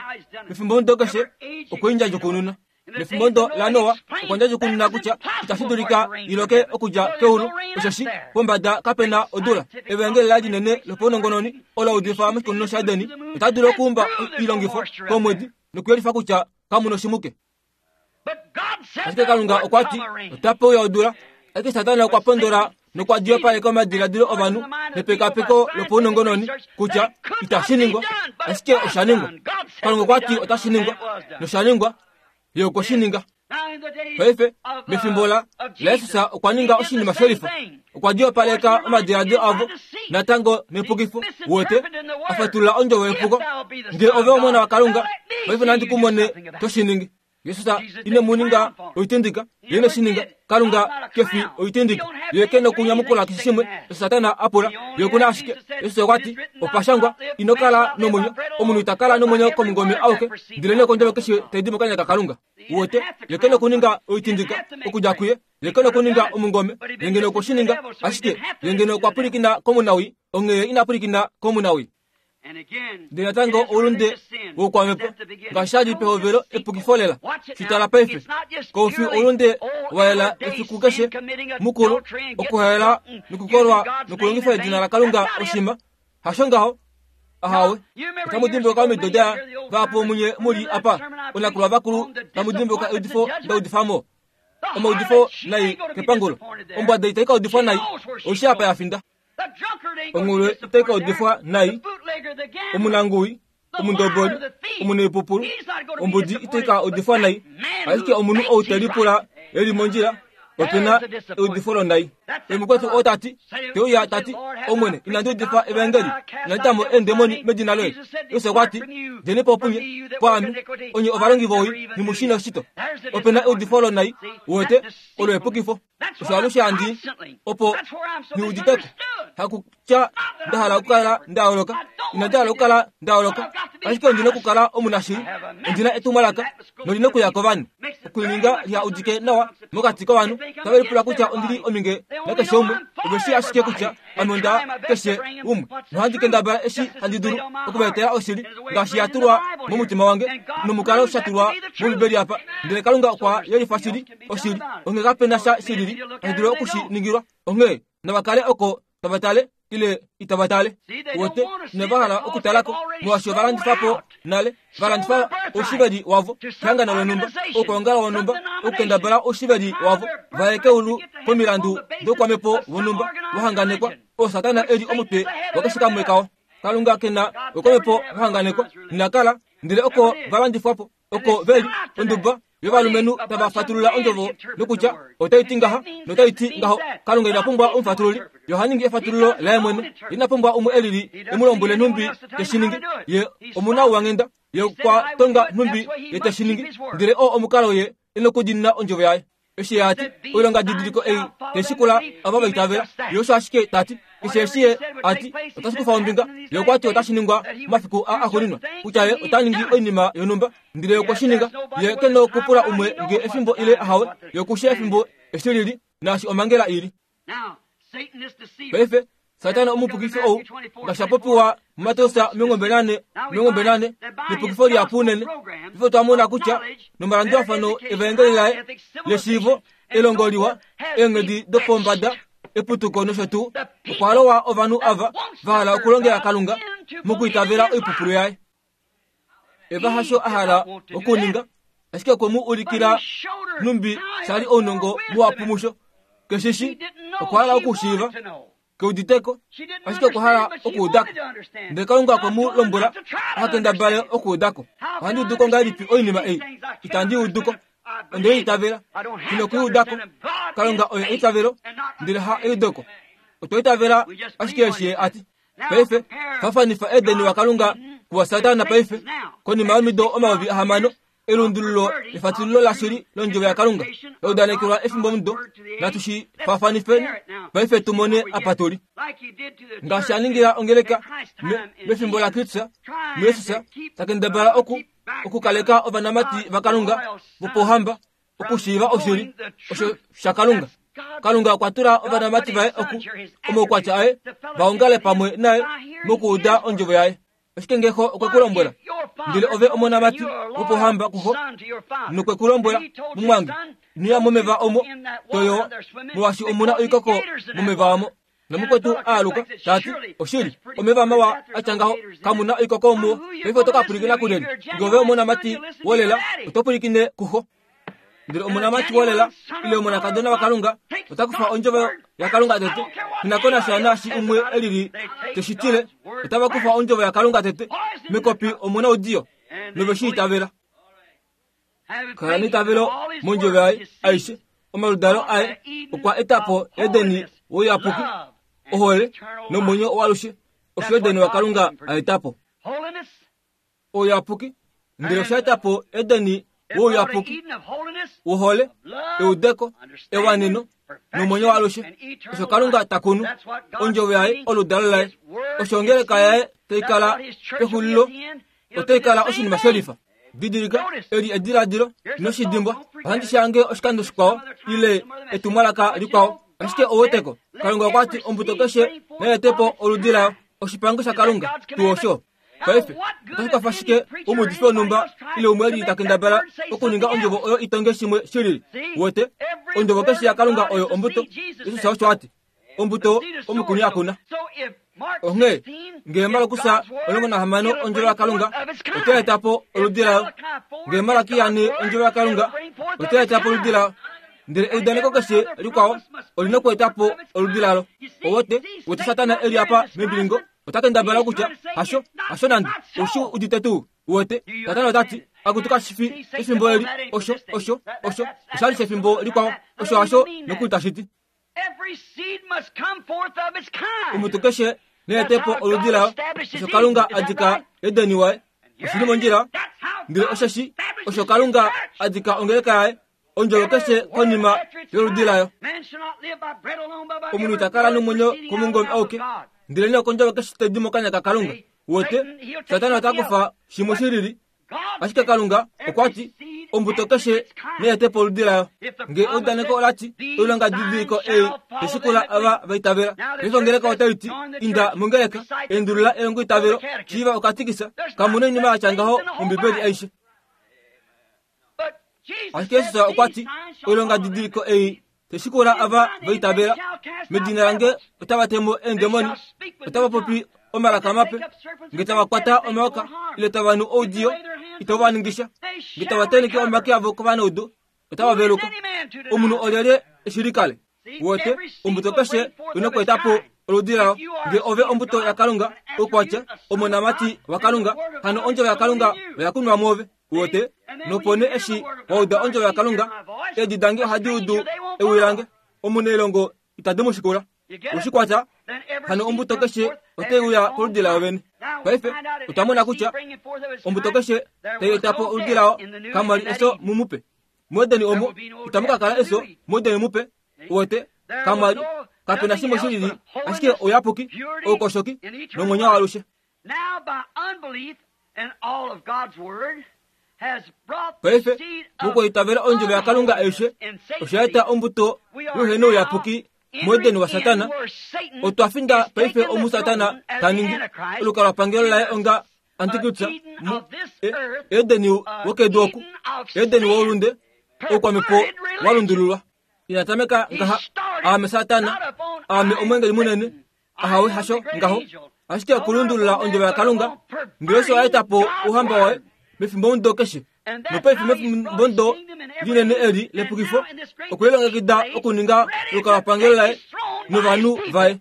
mefimbo mudo keshe okweindjadjukununa. Mefimbo mudo laNoa okwa kutya itashi dulika iloke okudja keulu, osheshi pombada kapena odula. Evangeli la linene lopaunongononi ola udifa moshikunino shaEdeni, ota dulu okuumba oilongifo komwedi nokuyelifa kutya kamu noshimuke. Ashike Kalunga okwa ti ota uya odula, ashike Satana okwa pondola nokwa diyopaleka omadiladilo ovanhu nepekapeko lopaunongononi kutya itashi ningwa, ashike osha ningwa. Kalunga okwa ti otashi ningwa, nosha ningwa, ye okwe shi ninga. Paife mefimbo la laJesus okwa ninga oshinima shelifa, okwa diyopaleka omadiladilo avo natango nepukifo wote a fatulula ondjovo yepuko. Ngee ove omona waKalunga, paife nandi ku mone to shi ningi. Jesus ine mu ninga oitindika, ye ine shi ninga. Kalunga kefi oitindika, ye ke nokunyamukula keshe shimwe Satana a pula, ye okuna ashike. Jesus okwa ti opashangwa, ino kala nomwenyo, omunhu ita kala nomwenyo komungome auke, ndele kondjovo keshe tai di mokanya kaKalunga. Wote ye ke nokuninga oitindika okudja kuye, ye ke nokuninga omungome, ye ngeno okwe shi ninga, ashike ye ngeno okwa pwilikina komunawi, onghee ina pwilikina komunawi. Ndele natango oulunde woukwamhepo ngaashi sha li pehovelo epukifo lela. Shitala paife koufi oulunde wa yela efiku keshe mukulu okuhaela nokukolwa nokulongifa edina laKalunga oshima hasho ngaho ahawe. Otamu dimbuluka omido daya vahapu munye muli apa onakulwa vakulu tamu dimbuluka eudifo ndaudifamo omaudifo nai kepangulo. Ombwada itai ka udifwa nai oishi apa ya finda. Ongulwe itai ka udifwa nai, omunanguwi, omundoboli, omuneipupulu, ombudi itai ka udifwa nai, ashike omunhu ou te lipula eli mondjila opena eudifo lonai. Emukwetu oo tati teuya tati Omwene inandi udifa evangeli, inandi tamo eendemoni medina loye. Jesus okwa ti djeni po punye pwaame onye ovalongi vowii nimushina oshito. Opena eudifo lonai wote olo epukifo. Osho alushe handi opo niuditeko hakutya nda hala okukala nda yooloka, inandi hala okukala nda yooloka, ashike ondina okukala omunashili, ondina etumwalaka nolina okuya kovanhu okulininga liha udike nawa mokati kovanhu tave lipula kutya ondili ominge nakeshe umwe, ove shii ashike kutya ame onda keshe umwe, nohandi kendabala eshi handi dulu okuvaetela oshili ngaashi ya tulwa momutima wange nomukalo sha tulwa mOmbibeli apa. Ndele Kalunga okwa yelifa shili oshili, onghee kapena sha shilili tashi dulu okushi ningilwa. Onghee nava kale oko tava tale ile itava tale. Wote inava hala okutalako molwaashi ova landifa po nale, va landifa oushiveli wavo kehangano lonhumba, okwoongala wonhumba, okukendabala oushiveli wavo va ye keulu komilandu doukwamhepo wonhumba wahanganekwa oo Satana eli omutwe wakeshe kamwe kao. Kalunga kena oukwamhepo wahanganekwa ina kala, ndele oko va landifwa po, oko veli onduba yovalumenhu tava fatulula ondjovo nokutya otai ti ngaha notai ti ngaho. Kalunga ina pumbwa omufatululi, ye oha ningi efatululo laye mwene. Ina pumbwa umwe elili e mu lombwele nhumbi teshi ningi. Ye omunauwanghenda, ye okwa tonga nhumbi ye teshi ningi, ndele oo omukalo ye e nokudiinina ondjovo yaye. Eshi ye ati oilonga didiliko ei teshikula ava va itavela, ye osho ashike tati keshe eshi ye ati otashi kufa ombinga, ye okwa ti otashi ningwa momafiku a axuuninwa, kutya ye ota ningi oinima yonhumba, ndele okwe shi ninga. Ye ke nokupula umwe nge efimbo ile ahawe, ye okushe efimbo eshi lili naashi omhangela ili. Paife Satana omupukifi ou ngaashi apopiwa muMateus omilongo mbali nane omilongo mbali nane nepukifo lihapu unene. Paife otwa mona kutya nomalandulafano evaengeli laye leshiivo, elongo liwa, eenghedi dopombada, eputuko nosho tuu, okwa lowa ovanhu ava va hala okulongela Kalunga mokwiitavela oipupulu yaye. Eva hasho a hala okuninga, ashike okwe mu ulikila numbi shali ounongo muhapu musho. Keshishi okwa hala okushiiva, keuditeko, ashike okwa hala okuudako. Ndele Kalunga okwe mu lombwela aha kendabale okuudako. Ohandi uduko ngahelipi oinima ei? Itandi uduko. Onde itavela. Ino okuiudako. Kalunga oye eitavelo, ndele ha eudeko. Otwa itavela ashike eshi ye ati. Paife, faafanifa Edeni waKalunga kuwaSatana paife, konima yomido omayovi ahamano, elundululo lefatululo lashili londjovo yaKalunga la udanekelwa efimbo mudo. Natu shi faafanifeni paife tu mone apa tuli. Ngaashi a ningila ongeleka mefimbo laKristus, muJesus, ta kendabala oku okukaleka ovanamati vaKalunga vopohamba okushiiva oshili osho shaKalunga. Kalunga okwa tula ovanamati vaye oku omaukwatya aye va ongale pamwe naye mokuuda ondjovo yaye. Ashike ngeho okwe ku lombwela, ndele ove omonamati wopohamba kuho, nokwe ku lombwela, mumwange, ino ya momeva omo toyowa, molwaashi omuna oikoko momeva omo. Nomukwetu aaluka tati, oshili, omeva mawa atya ngaho, kamuna oikoko omuwo. Paife oto ka pwilikina kulyelye? Nge ove omonamati wolela, oto pwilikine kuho. Ndele omonamati wolela ile omonakadona waKalunga ota kufa ondjovo yaKalunga tete. Inakonasha naashi umwe elili teshitile, otava kufa ondjovo yaKalunga tete mekopi omuna oudiyo nove shi itavela. Kala neitavelo mondjovo yaye aishe. Omaludalo aye okwa eta po Edeni wouyapuki, ohole nomwenyo waalushe, osho Edeni waKalunga a eta po. Ouyapuki, ndele osha eta po Edeni wouyapuki, wohole, eudeko, ewaneno nomwenyo waalushe, osho Kalunga ta kunu ondjovo yaye oludalo laye, osho ongeleka yaye tai kala pexulilo, otai kala oshinima shelifa. Didilika eli ediladilo noshidimbwa. Ohandi shange oshikando shikwao ile etumwalaka likwao, ashike ouweteko. Kalunga okwa ti ombuto keshe naete po oludi layo, oshipango shaKalunga tuu osho. Paife otashi kwafa shike omuudifi wonhumba ile umwe eli ta kendabala okuninga ondjovo oyo itonge shimwe shilili? Wete, ondjovo keshe yaKalunga oyo ombuto. Jesus osho ati, ombuto omukuni akuna. Onghee ngee Markus omulongo nahamano ondjovo yaKalunga otai eta po oludi layo, ngee Malaki yane ondjovo yaKalunga otai eta po oludi layo, ndele eudaneko keshe likwao olina okueta po oludi lalo. Owete, wete Satana eli apa membilingo ota kendabala kutya hasho, hasho nande, oushi udite tuu. Wete, Satana ota ti, akutu kashifi efimbo eli, osho, osho, osho, oshali shefimbo likwao, osho hasho nokuli tashi ti. Omutu keshe neete po oludi layo, osho Kalunga adika Edeni waye, oshili mondjila, ndele osheshi osho Kalunga adika ongeleka yaye, ondjovo keshe konima yoludi layo. Omunhu ita kala nomwenyo komungome auke, ndele nokondjovo keshe tai di mokanya kaKalunga. Wete, Satana ota kufa shimwe shilili, ashike Kalunga okwa ti ombuto keshe neete po oludi layo. Nge eudaneko ola ti oilonga didiliko ei teshikula ava va itavela. Paife ongeleka otai ti inda mongeleka, endulula elongo itavelo, shiiva okatikisa, kamuna oinima yatya ngaho mOmbibeli aishe. Ashike Jesus okwa ti oilonga didiliko ei teshikula ava va itavela, medina lange otava temo eendemoni, otava popi omalaka mape, nge tava kwata omayoka ile tava nu oudiyo itava va ningisha, nge tava tenheke omake avo kovanaudu otava veluka. Omunhu olyelye eshilikale? Wete, ombuto keshe ina okueta po oludi layo. Nge ove ombuto yaKalunga, oukwatya omonamati waKalunga, hano ondjovo yaKalunga oya kunwa mwoove. Wete, nopo nee eshi wauda ondjovo yaKalunga, eedi dange ohadi udu ewi lange, omunailongo itadi mu shikula. Oshikwatya, hano ombuto keshe otai uya koludi layo vene. Paife otwa mona kutya ombuto keshe tai eta po oludi layo, kamwa li eso mumupe. Muedeni omo itamu ka kala eso muedeni mupe. Wete, kamwa li kapena shimwe shilili, ashike ouyapuki, oukoshoki nomwenyo waalushe. Paife mokwiitavela ondjovo yaKalunga aishe, osha eta ombuto youhena ouyapuki muEden waSatana, otwa finda paife omu Satana ta ningi olukalwapangelo laye onga Antikristo mu Edeni wokedu oku, Edeni woulunde, oukwamhepo walundululwa. Inatameka ngaha aame Satana, aame omwengeli munene, ahawe hasho ngaho. Ashike okulundulula ondjovo yaKalunga, ngelosi oya eta po ouhamba waye mefimbomudo keshe. Nopaife mefimbomudo linene eli lepukifo, okwelilongekida okuninga olukalwapangelo laye novanhu vaye.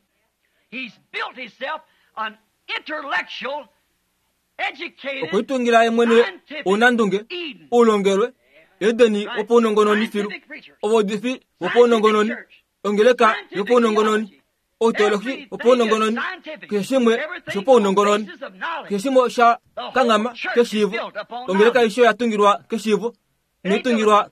Okwelitungila ye mwene ounandunge, oulongelwe, Edeni wopaunongononi filu, ovaudifi wopaunongononi, ongeleka yopaunongononi, outeolohi wopaunongononi, keshe shimwe oshopaunongononi, keshe shimwe osha kanghama keshiivo. Ongeleka aishe oya tungilwa keshiivo, inai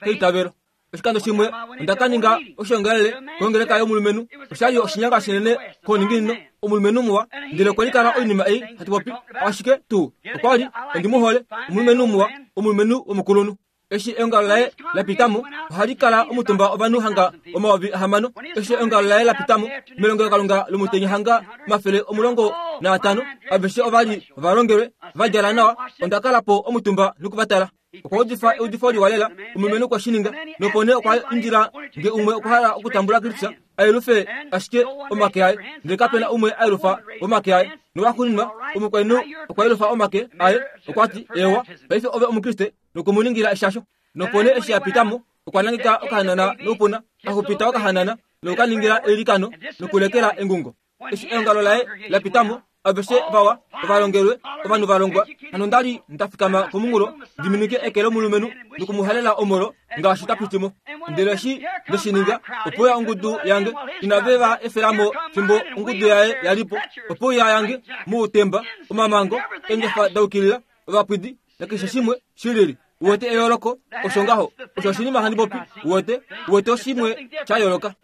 keitavelo. Oshikando shimwe onda ka ninga oshiongalele kongeleka yomulumenhu, oshali oshinyanga shinene kouninginino, omulumenhu muwa, ndele okwe likala oinima ei hatu popi, ashike tuu okwa li ondi mu hole, omulumenhu muwa, omulumenhu womukulunhu. Eshi eongalo laye la pitamo, ohali kala omutumba ovanhu hanga omayovi ahamano. Eshi eongalo laye la pitamo melongelokalunga lomutenya hanga omafele omulongo naatano, aveshe ovali ovalongelwe va djala nawa. Onda kala po omutumba nokuvatala. Okwa udifa eudifo liwa lela, omulumenhu okwe shi ninga, nopo nee okwa indila nge umwe okwa hala okutambula Kristus, a yelufe ashike omake aye, ndele kapena umwe a yelufa omake aye. Nowaxuuninwa omukainhu okwa yelufa omake aye, okwa ti, ewa, paife ove Omukriste, nokumuningila eshasho. Nopo nee eshi a pitamo, okwa nangeka okahanana noupuna, axupita okahanana nokukaningila eilikano nokulekela engungo. Eshi eongalo laye la pitamo, aveshe vawa, ovalongelwe, ovanhu valongwa. Hano nda li nda fikama komunghulo ndi minike eke lomulumenhu nokumuhalela omolo ngaashi ta pitimo. Ndele eshi nde shi ninga, opo ya ongudu yange inave va efelamo fimbo ongudu yaye yalipo. Opo ya yange muutemba, omamango, eengefa da ukilila, ovapwidi nakeshe shimwe shilili. Uwete eyooloko, osho ngaho, osho oshinima handi popi. Uwete, uwete oshimwe sha yooloka.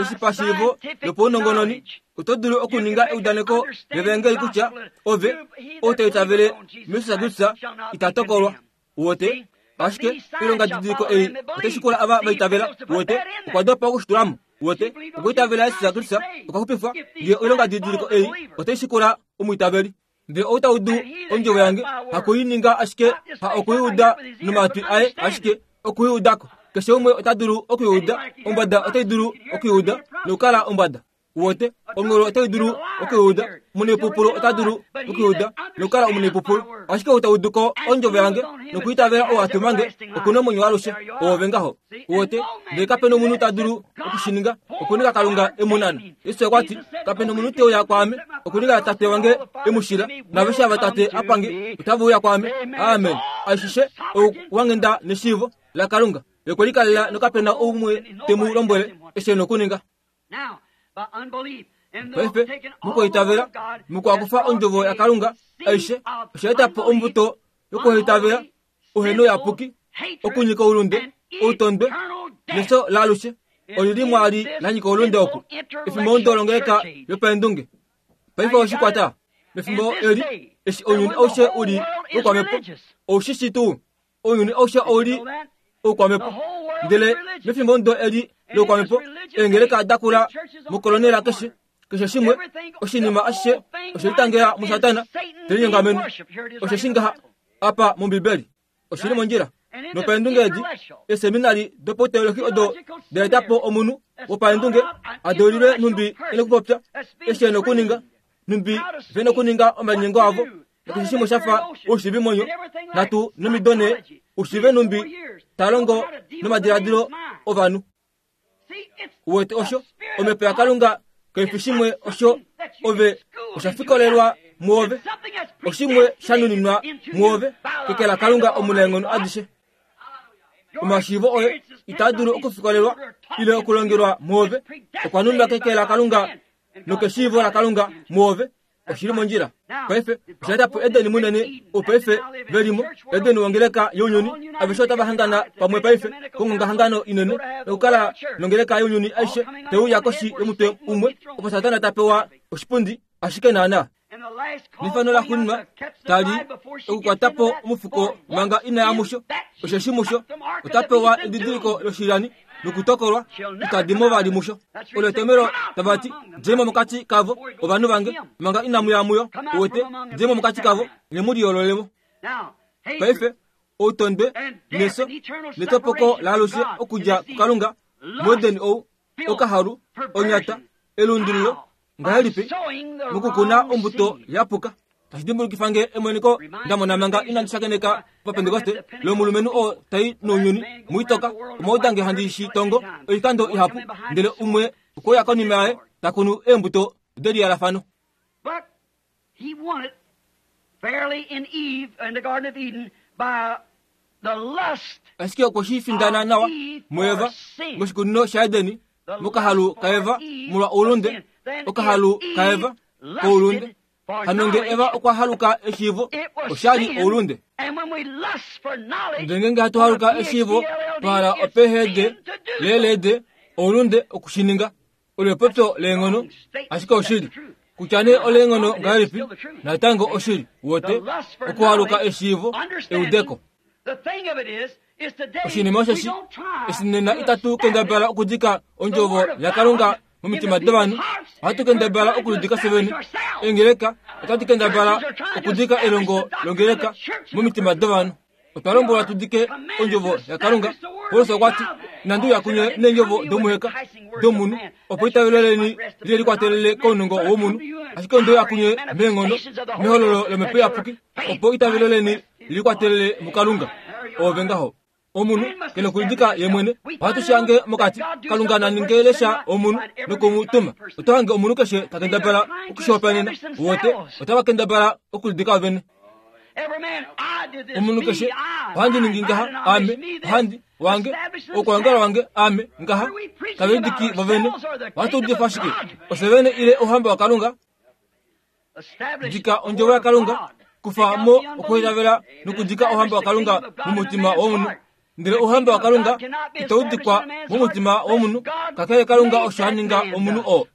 Eshi pashiivo lopaunongononi, oto dulu okuninga eudaneko levangeli kutya ove ou ta itavele muJesus Kristus ita tokolwa. Uwete, ashike oilonga didiliko ei otai shikula ava va itavela. Uwete, okwa dopa okushitulamo. Uwete, okwiitavela Jesus Kristus okwa xupifwa, ngee oilonga didiliko ei otai shikula omwiitaveli. Ndele ou ta udu ondjovo yange hakuininga ashike, ha okuiuda nomatwi aye ashike, okuiudako. Keshe umwe ota dulu okuiuda, ombwada otai dulu okuiuda nokukala ombwada. Uwete, ongolo otai dulu okuiuda, omunepupulu ota dulu okuiuda nokukala omunepupulu. Ashike ou ta udu ko ondjovo yange nokuitavela ou a tuma nge, okuna omwenyo waalushe, oove ngaho. Uwete, ndele kapena omunhu ta dulu okushininga, okuninga Kalunga e mu nana. Jesus okwa ti, kapena omunhu te uya kwaame, okuninga Tate wange e mu shila, naaveshe ava Tate a pange otava uya kwaame. Amen. Aishe ouwanghenda neshiivo laKalunga ye okwe likalela nokapena oumwe te mu lombwele eshi e na okuninga. Paife, mokwaitavela, mokwakufa ondjovo yaKalunga aishe, osha eta po ombuto yokuhaitavela, ouhenouyapuki, okunyika oulunde, outondwe, nefyo laalushe. Olili mwali la nyika oulunde oku, efimbo longeleka yopaendunge. Paife oshikwata, mefimbo eli, eshi ounyuni aushe uli oukwamhepo, oushishi tuu, ounyuni aushe ouli oukwamhepo. Ndele mefimbo ndo eli loukwamhepo, eengeleka da kula mokolonela keshe, keshe shimwe, oshinima ashishe oshelitangela muSatana, telinyongameno. Osho shingaha apa mOmbibeli, oshili mondjila. Nopaendunge edi, eseminari dopauteolohi odo da eta po omunhu wopaendunge a deulilwe nhumbi e nokupopya, eshi e nokuninga, nhumbi ve nokuninga omalinyengo avo, nakeshe shimwe sha fa oushiivimonyo, nhatu nomido nhee, ushiive nhumbi ta longo nomadiladilo ovanhu. Uwete osho, omhepo yaKalunga kai fi shimwe osho ove osha fikolelwa muove, oshimwe sha nuninwa muove, keke laKalunga omunaenghono adishe. Omashiivo oye itaa dulu okufikolelwa ile okulongelwa muove, okwa nunwa keke laKalunga nokeshiivo laKalunga muove. Oshili mondjila. Paife osha eta po Edeni munene, ou paife velimo, Edeni wongeleka younyuni, aveshe otava hangana pamwe paife kongongahangano inene, nokukala nongeleka younyuni aishe te uya koshi yomutwe umwe, opo Satana ta pewa oshipundi ashike naana. Nefano laxuuninwa tali okukwata po omufuko manga ina ya musho, osheshi musho ota pewa edidiliko loshilyani Nokutokolwa itadi mo vali musho. Olo etomhelo tava ti djei mo mokati kavo ovanhu vange manga inamu ya muyo. Uwete, djei mo mokati kavo nye mu liyoolole mo. Paife outondwe nefyo netopoko laalushe okudja kuKalunga muEden ou okahalu onyata elundululo ngahelipi mokukuna ombuto yapuka. Tashi dimbulukifa nge emoniko nda mona manga inandi shakeneka paPentekoste lomulumenhu oo tai nounyuni muitoka omauda nge handi shi tongo oikando ihapu, ndele umwe okwe uya konima yaye ta kunu eembuto deliyalafano. But he won it fairly in Eve in the Garden of Eden by the lust Ashike okwe shi findana nawa muEva moshikunino shaEdeni mokahalu kaEva molwa oulunde, okahalu kaEva koulunde. Hano nge Eva okwa haluka eshiivo, osha li oulunde. And when we lust for knowledge, Ndele ngeenge hatu haluka eshiivo twa hala opeehede leelede oulunde okushininga. Olo epopyo leenghono, ashike oshili. Kutya nee oleenghono ngahelipi, natango oshili. Uwete, okuhaluka eshiivo, eudeko. The thing of it is, is today Oshinima we osheshi don't try eshi nena to itatu kendabala okudika ondjovo yaKalunga momitima dovanhu, ohatu kendabala okulidika fyevene. Eengeleka otadi kendabala okudika elongo longeleka momitima dovanhu. Otwa lombwelwa tu dike ondjovo yaKalunga. Paulus okwa ti, inandi uya kunye neendjovo domuheka domunhu, opo eitavelo leni li likwatelele kounongo womunhu, ashike onde uya kunye meenghono mehololo lOmhepo Iyapuki, opo eitavelo leni likwatelele muKalunga. Oove ngaho. Omunhu ke nokulidika ye mwene. Ohatu shi hange mokati. Kalunga na ninge lesha omunhu nokumutuma. Oto hange omunhu keshe ta kendabala okushihopaenena. Uwete, otava kendabala okulidika vene. Every man, I did this, Omunhu me, keshe, I, ohandi mine, ningi ngaha, my ame, denomination, me this. ohandi, wange, Establish okuongala themselves. wange, ame, ngaha. Tave lidiki vovene. Ohatu udifa shike? Ofye vene ile ouhamba waKalunga? Establish Dika the ondjovo word of yaKalunga, God. kufa mo okuitavela nokudika ouhamba waKalunga mumutima womunhu. Ndele ouhamba waKalunga itau dikwa mumutima womunhu, kakele Kalunga osho a ninga omunhu oo.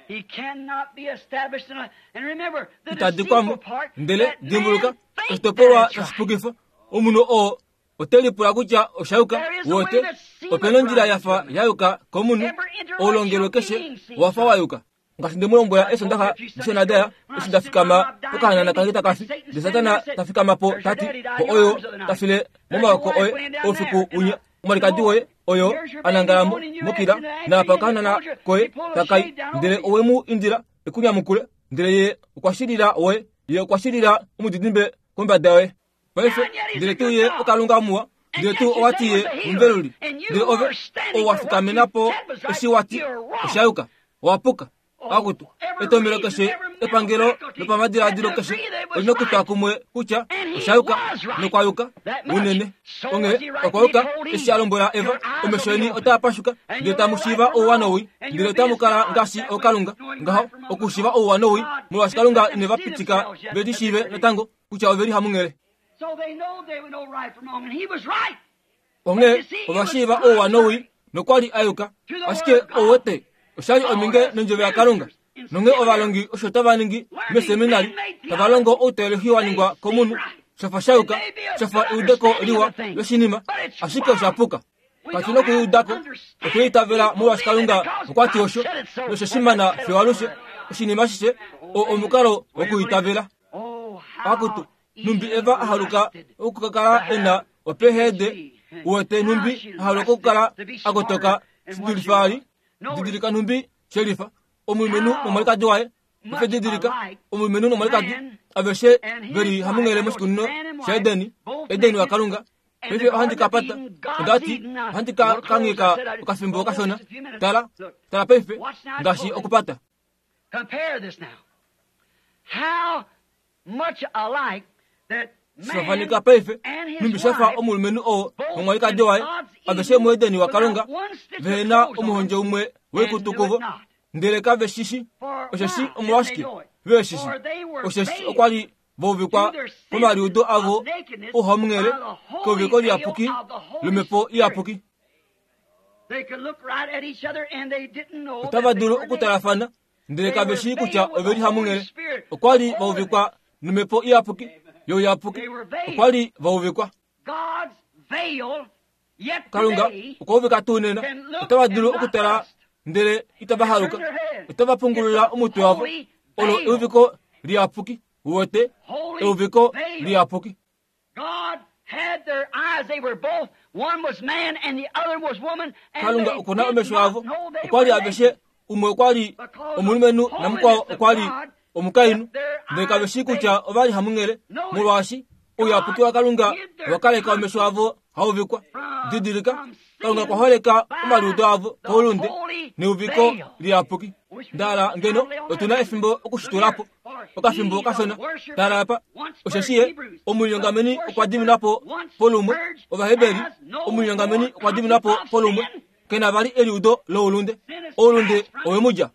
He cannot be established in a, and remember, the Ita dikwamo. deceitful part, Ndele that man dimbuluka, think oshitopolwa that it's right. tashipukifo, omunhu oo ote lipula kutya osha yuka. There is a way Wote, that seemeth opena ondjila right yafa unto man. ya yuka komunhu, Every intellectual oulongelwe keshe being seems wafa right. wa yuka. Ngaashi nde mu lombwela eSondaxa dishonadaya, eshi nda fikama pokahanana kange takafi, ndele Satana ta fikama po ta ti, po oyo ta file momaoko oye oufiku unya, omwalikadi woye oyo a nangala mo mokila, naapa okahanana koye takai, ndele owe mu indila ekunyamukule, ndele ye okwa shilila woye, ye okwa shilila omudidimbe kombada yoye. Paife, ndele tuu ye oKalunga muwa, ndele tuu owa ti ye omuveluli, ndele ove owa fikamena po eshi wa ti osha yuka, owa puka. Akutu, etomhelo keshe, epangelo lopamadiladilo keshe olina okutwa kumwe kutya osha yuka nokwa yuka unene. Onghee okwa yuka eshi a lombwela Eva, omesho eni otaa pashuka, ndele tamu shiiva ouwa nowii, ndele otamu kala ngaashi ookalunga. Ngaho okushiiva ouwa nowii, molwaashi Kalunga ine va pitika ve lishiive natango kutya ove li hamunghele. So they know they would know right from wrong, and he was right. Onghee ova shiiva ouwa nowii, nokwa li a yuka. Ashike ouwete, osha li ominge nondjovo yaKalunga. Nonghee ovalongi osho tava ningi meseminari, tava longo outeolohi wa ningwa komunhu, shafa sha yuka, shafa eudeko liwa loshinima, ashike osha puka. Katu na okuliudako, otwe itavela molwaashi Kalunga okwa ti osho, nosha shimana fiyo alushe. Oshinima ashishe oo omukalo wokuitavela. Oh, how Akutu, numbi Eva a haluka okukakala e na opeehede, uwete numbi a haluka okukala a kotoka shidulifa ali, didilika numbi shelifa, omulumenhu nomwalikadi waye, ife didilika, omulumenhu nomwalikadi, aveshe veli hamunghele moshikunino shaEdeni, Edeni waKalunga. Paife ohandi ka pata, onda ti, ohandi ka kangheka okafimbo kashona. Tala, tala paife, ngaashi okupata. Compare this now. How much alike that man Shafanika paife, and his numbi shafa wife, omulumenhu oo both nomwalikadi in waye, God's aveshe Eden, muEdeni waKalunga, without one stitch of vehena clothes on omuhondjo them, umwe and woikutu knew kuvo, it not. ndele kave shishi, For osheshi why didn't they omolwashike know it? ve shishi, For they were osheshi veiled okwa li va uvikwa to their senses komaliudo avo of nakedness ouhamunghele by the holy keuviko veil liyapuki of the Holy lomhepo Spirit. iyapuki. They could look right at each other and they didn't know Otava that they dulu were naked. okutalafana, ndele They kave were shii kutya veiled with ove li the Holy hamunghele. Spirit. Okwa li va Holy. uvikwa nomhepo iyapuki, youyapuki. They were veiled. Okwa li va uvikwa. God's veil Kalunga okwa uvika tuu nena. Otava dulu okutala ndele itava haluka. Otava pungulula omutwe wavo. Olo euviko liyapuki. Uwete euviko liyapuki. Kalunga okuna omesho avo. Okwa li aveshe umwe okwa li omulumenhu namukwao okwa li omukainhu. Ndele kave shii kutya ova li hamunghele, molwaashi ouyapuki waKalunga owa kaleka omesho avo hauvikwa. Didilika, Kalunga okwa holeka omaliudo avo koulunde neuviko liyapuki. Ndala ngeno otuna efimbo okushitulapo okafimbo kashona. Tala apa, osheshi ye omulinyongameni okwa diminwa po polumwe. Ovaheberi, omulinyongameni okwa diminwa po polumwe. Kena vali eliudo loulunde. Oulunde owe mu lya.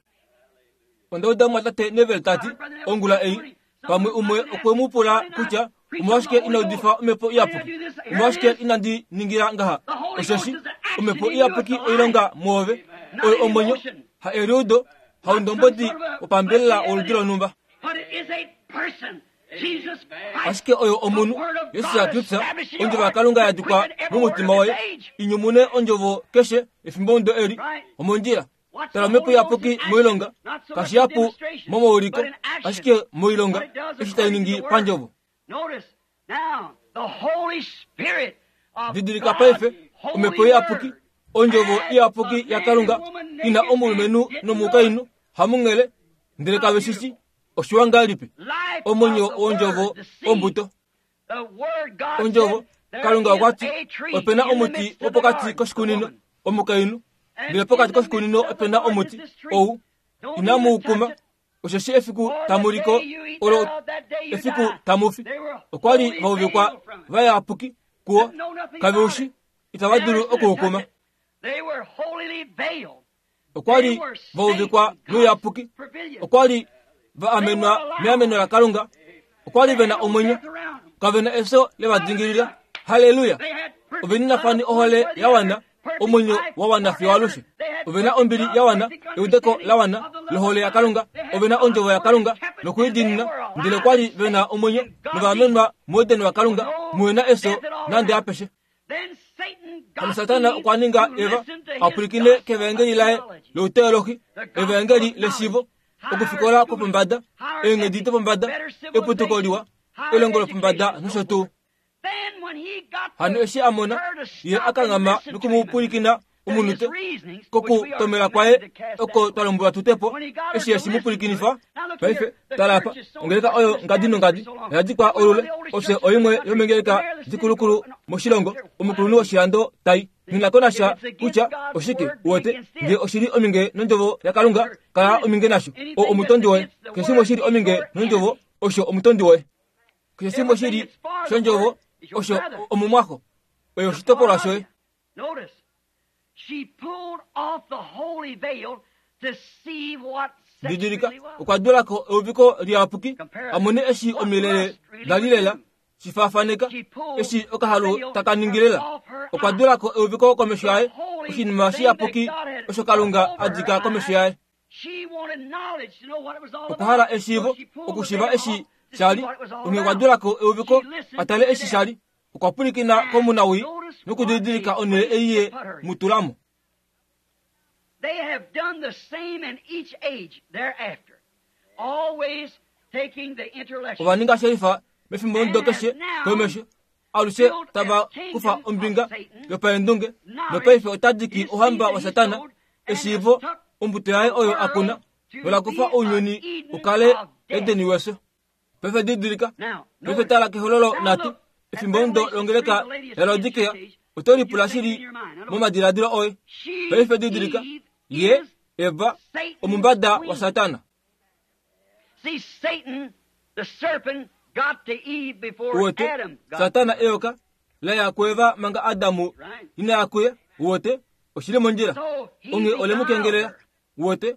Onda uda mwatate Neville tati ongula ei, pamwe umwe okwe mu pula kutya omolwashike ina udifa omhepo iyapuki, omolwashike inandi ningila ngaha. Osheshi omhepo iyapuki oilonga mwoove, oyo omwenyo, ha eliudo, haundombodi wopambelela woludi lonhumba. Ashike oyo omunhu, Jesus Kristus, ondjovo yaKalunga ya dikwa momutima woye, inyumune ondjovo keshe efimbo ndo eli omondjila. Tala omhepo iyapuki moilonga, kashihapu momauliko, ashike moilonga, eshi tai ningi pandjovo. Didilika paife, omhepo iyapuki, ondjovo iyapuki yaKalunga, ina omulumenhu nomukainhu hamunghele, ndele kave shishi oshiwa ngahelipi. Omwenyo wondjovo ombuto. Ondjovo, Kalunga okwa ti, opena omuti wopokati koshikunino, omukainhu, ndele pokati koshikunino opena omuti ou inamu u kuma, osheshi efiku tamu liko olo efiku tamu fi. Okwa li va uvikwa vayapuki kuwo, kave ushi, itava dulu okuukuma. Okwa li va uvikwa nouyapuki, okwa li va amenwa meameno laKalunga, okwa li vena omwenyo, kavena efyo levadingilila. Haleluya! Oveninafani ohole ya wana, omwenyo wa wana fiyo alushe. Ovena ombili ya wana, eudeko la wana lohole yaKalunga, ovena ondjovo yaKalunga nokuidiinina, ndele okwa li vena omwenyo nova amenwa muEden waKalunga, muhena efyo nande apeshe. Hano Satana okwa ninga Eva a pwilikine kevaengeli laye louteolohi, evaengeli leshiivo, okufikola kwopombada, eenghedi dopombada, eputuko liwa, elongo lopombada nosho tuu. Hano eshi a mona ye a kanghama nokumupwilikina omunute kokutomela kwaye oko twa lombwelwa tutepo, eshi eshi mu pwilikinifa. Paife tala apa, ongeleka oyo ngadi nongadi oya dikwa olule, ofye oimwe yomengeleka dikulukulu moshilongo, omukulunhu woshilando tai nina konasha kutya oshike uwete, nge oshili ominge nondjovo yaKalunga, kala ominge nasho. O omutondi woye, keshe shimwe shili ominge nondjovo, osho omutondi woye. Keshe shimwe shili shondjovo, osho omumwaxo, oyo oshitopolwa shoye. Didilika, okwa dulako euviko liyapuki, a mone eshi omilele da li lela, shifaafaneka, eshi okahalu taka ningilela. Okwa dulako euviko komesho yaye, oshinima shiyapuki osho Kalunga a dika komesho yaye. Okwa hala eshiivo, okushiiva eshi shali, onghee okwa dulako euviko a tale eshi shali. Okwa pwilikina komunawii nokudidilika onhele ei ye mu tulamo. They have done the same in each age thereafter, always taking the intellectual. Ova ninga shelifa mefimbo ndo keshe komesho, alushe tava kufa ombinga yopaendunge, nopaife ota diki ouhamba waSatana, eshiivo, ombuto yaye oyo a kuna, nola kufa ounyuni u kale Edeni wefyo. Paife didilika, paife tala kehololo nhatu, efimbo ndo longeleka yaLaodikea, oto lipula shili momadiladilo oye. Paife didilika, ye Eva omumbada waSatana. Uwete, Satana eyoka laya kuEva manga Adamu ina ya kuye. Uwete, oshili mondjila, onghee ole mu kengelela. Uwete,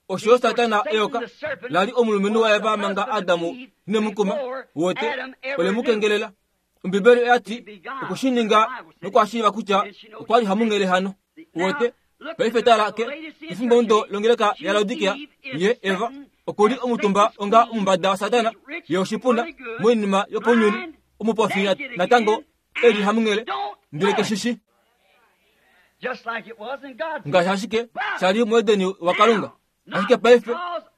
osho Satana eyoka lali omulumenhu waEva manga Adamu ine mu kuma. Uwete, ole mu kengelela. Ombibeli oya ti okushininga nokwashiiva kutya okwa li hamunghele hano. Uwete, paife tala ke efimbo ndo longeleka yaLaodikea, ye Eva okuli omutumba onga omumbada waSatana, ye oshipuna moinima yopounyuni, omupofi natango eli hamunghele, ndele keshishi. Ngaashi ashike shali muEdeni waKalunga. Ashike paife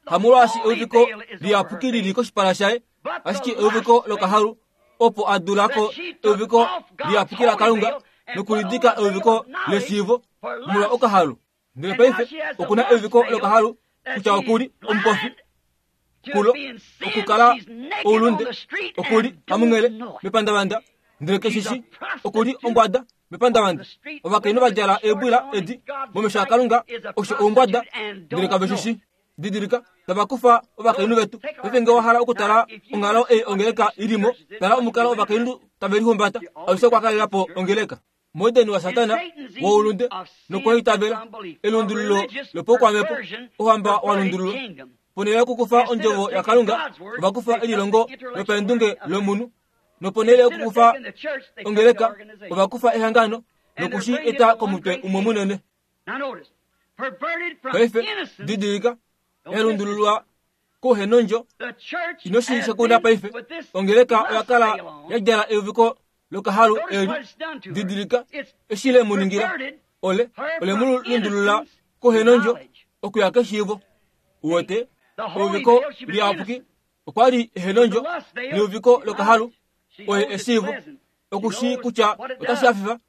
hamolwaashi euviko liyapuki lili koshipala shaye, ashike euviko lokahalu opo a dulako euviko liyapuki laKalunga nokulidika euviko leshiivo molwa okahalu. Ndele paife okuna euviko lokahalu kutya okuli omupofi kulo okukala oulunde, okuli hamunghele mepandavanda, ndele keshishi okuli ombwada mepandavanda. Ovakainhu va djala eebwila edi momesho aKalunga osho oumbwada, ndele kave shishi. Didilika, tava kufa ovakainhu vetu. Paife ngee wa hala okutala onghalo ei ongeleka ilimo, tala omukalo ovakainhu tave lihumbata. Alushe okwa kalela po ongeleka. Muedeni waSatana woulunde nokweitavela elundululo lopaukwamhepo, ouhamba wa lundululwa. Ponhele yokukufa ondjovo yaKalunga, ova kufa elilongo lopaendunge lomunhu. Noponhele yokukufa ongeleka, ova kufa ehangano nokushi eta komutwe umwe munene. Paife didilika, elundululwa kouhenondjo inoshi shekunda. Paife ongeleka oya kala ya djala euviko lokahalu eli. Didilika eshi le mu ningila. Ole ole mu lundulula kouhenondjo okuya keshiivo. Uwete euviko liyapuki okwa li ehenondjo, neuviko lokahalu oye eshiivo. Okushi kutya otashi hafifa,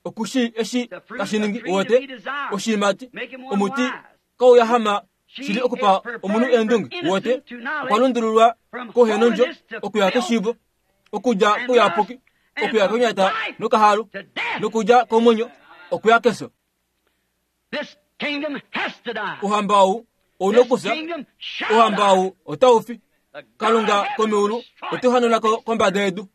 okushi eshi tashi ningi. Uwete oshiimati omuti kauyahama shili okupa omunhu eendunge. Uwete okwa lundululwa kouhenondjo okuya keshiivo, okudja kouyapuki okuya konyata nokahalu, nokudja komwenyo okuya kefyo. Ouhamba ou ouna okufya, ouhamba ou otau fi. Kalunga komeulu ote hanuna ko kombada yedu.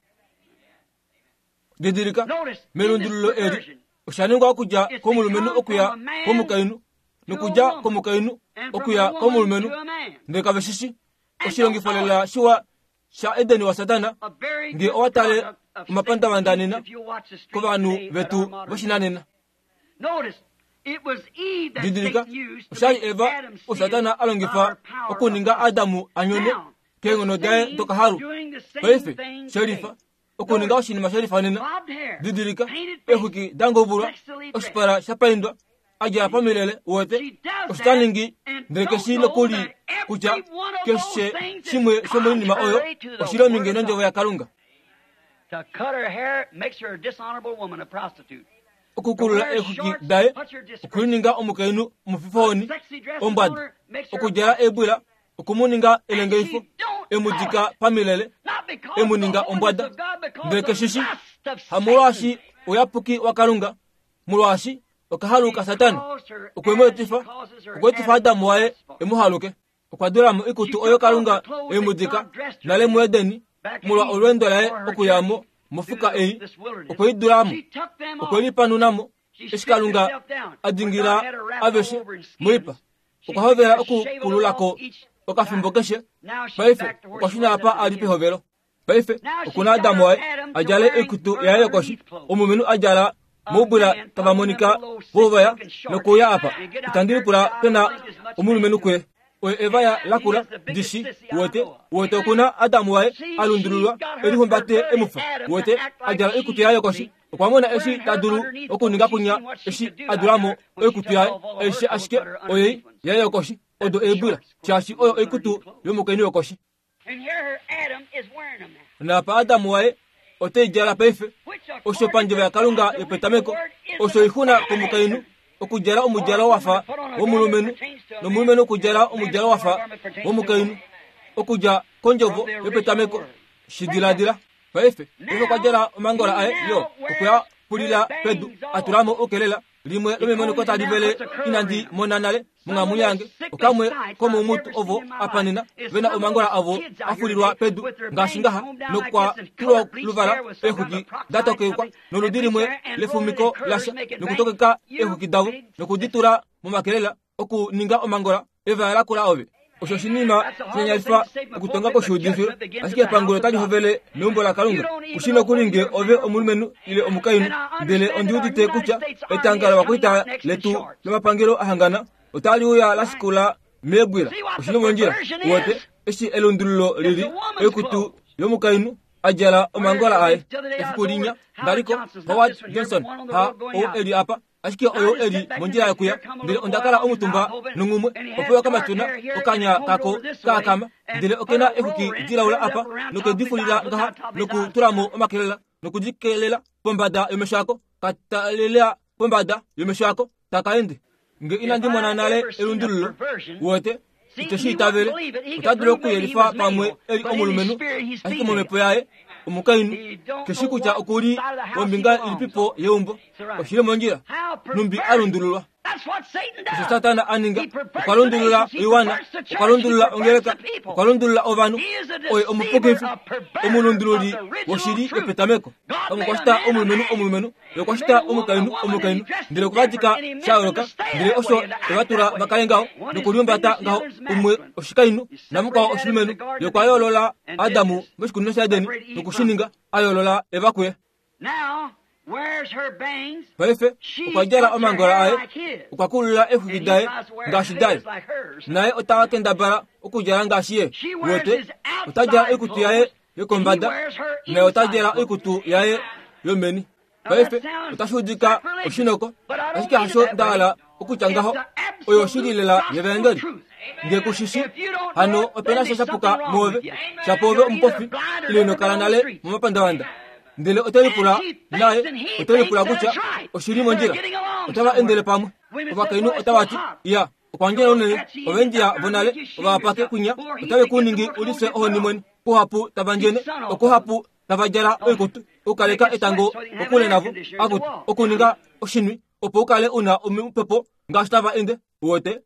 Didilika, melundululo eli osha ningwa okudja komulumenhu okuya komukainhu, nokudja komukainhu okuya komulumenhu, ndele kave shishi. Oshilongifo lela shiwa sha Edeni waSatana, ngee owa tale omapandavanda nena kovanhu vetu voshinanena. Didilika, oshali Eva oSatana a longifa okuninga Adamu a nyone keenghono daye dokahalu. Paife shelifa okuninga oshinima shelifa nena. Didilika, eexwiki dangovulwa, oshipala sha paindwa, a djala pamilele. Uwete osho ta ningi, ndele keshi nokuli kutya keshe shimwe shomoinima oyo oshili ominge nondjovo yaKalunga. Okukulula eexwiki daye okulininga omukainhu omufifohoni ombwada, okudjala eebwila okumuninga elengeifo, emudika pamilele, emuninga ombwada, ndele keshishi hamolwaashi ouyapuki waKalunga, molwaashi okahalu kaSatana okwe mu etifa, okwa etifa Adamu waye emu haluke. Okwa dula mo oikutu oyo Kalunga emudika nale muEdeni molwa olweendo laye okuya mo mofuka ei. Okwe i dula mo, okwe lipanuna mo. Eshi Kalunga a dingila aveshe moipa, okwa hovela okukululako okafimbo keshe. Paife okwa shuna apa a li pehovelo. Paife okuna Adamu waye a djale oikutu yaye yokoshi, omulumenhu a djala moubwila tava monika vouvaya nokuuya apa. Itandi lipula pena omulumenhu kuye. Oye Eva ya lakula ndishi. Uwete, uwete okuna Adamu waye a lundululwa elihumbate emufa. Uwete a djala oikutu yaye yokoshi. Okwa mona eshi ta dulu okuninga kunya eshi a dula mo oikutu yaye aishe, ashike oyei yaye yokoshi odo eebwila, shaashi oyo oikutu yomukainhu yokoshi. Naapa Adamu waye ote i djala paife. Osho pandjovo yaKalunga yopetameko osho oixuna komukainhu okudjala omudjalo wafa womulumenhu, nomulumenhu okudjala omudjalo wafa womukainhu, okudja kondjovo yopetameko. Shi diladila paife. Paife okwa djala omangola aye yo okuya pulila pedu, a tula mo oukelela limwe lomemoniko tali vele inandi mona nale monghalamwenyo yange. Okamwe komoumutu ovo apa nena vena omangola avo a fulilwa pedu ngaashi ngaha, nokwa tulwa luvala eexwiki da tokekwa noludi limwe lefumiko lasha, nokutokeka eexwiki davo nokudi tula momakelela okuninga omangola evaya lakula ove. Osho oshinima shinyanyalifa okutonga koshiudifilo, ashike epangulo otali hovele meumbo laKalunga. Kushi nokuli ngee ove omulumenhu ile omukainhu, ndele ondi udite kutya etanga lovakwaita letu lomapangelo ahangana otali uya lashikula meebwila. Oshili mondjila. Uwete eshi elundululo lili oikutu yomukainhu a djala omangola aye. Efiku linya ndaliko Howard Johnson ha ou eli apa Ashike oyo eli mondjila yokuya ndele onda kala omutumba nongumwe opo okamatuna okanya kako kaakama ndele okena exuki dilaula apa nokedifulila ngaha nokutulamo omakelela nokudikelela pombada yomesho ako katalelela pombada yomesho ako takaende nge inandi mona nale elundululo wote ito shi itavele ota dulu okuyelifa pamwe eli omulumenhu ashike momhepo yaye omukainhu keshi kutya okuli wombinga ilipipo yeumbo oshili mondjila numbi alundululwa osho Satana a ninga okwa lundulula oiwana okwa lundulula ongeleka okwa lundulula ovanhu oye omupukifi omulundululi woshili yopetameko okwa shita omulumenhu omulumenhu okwa shita omukainhu omukainhu ndele okwa dika sha yooloka ndele osho evatula vakale ngaho nokuliumbata ngaho umwe oshikainhu namukwao oshilumenhu yokwa yoolola Adamu moshikunino shaEdeni nokushininga a yoolola Eva kuye. Paife okwa djala omangola aye okwa kulula exwiki daye ngaashi daye naye ota kendabala okudjala ngaashi ye wote ota djala oikutu yaye yokombada naye ota djala oikutu yaye yomeni. Paife otashi udika oshinoko ashike hasho nda hala okutya ngaho oyo oshili lela yevaengeli nge kushishi hano opena sha shapuka moove shapoove omupofi ile ino kala nale momapandavanda ndele ote lipula naye ote lipula kutya oshili mondjila otava endele pamwe ovakainhu otava ti iya okwandjela unene ovendjiya vonale ovapake kunya otave kuningi ulise ohoni mwene kuhapu tava ndjene okuhapu tava djala oikutu okukaleka etango kokule navo akutu okuninga oshinwi opo ukale una omupepo ngaashi tava ende wote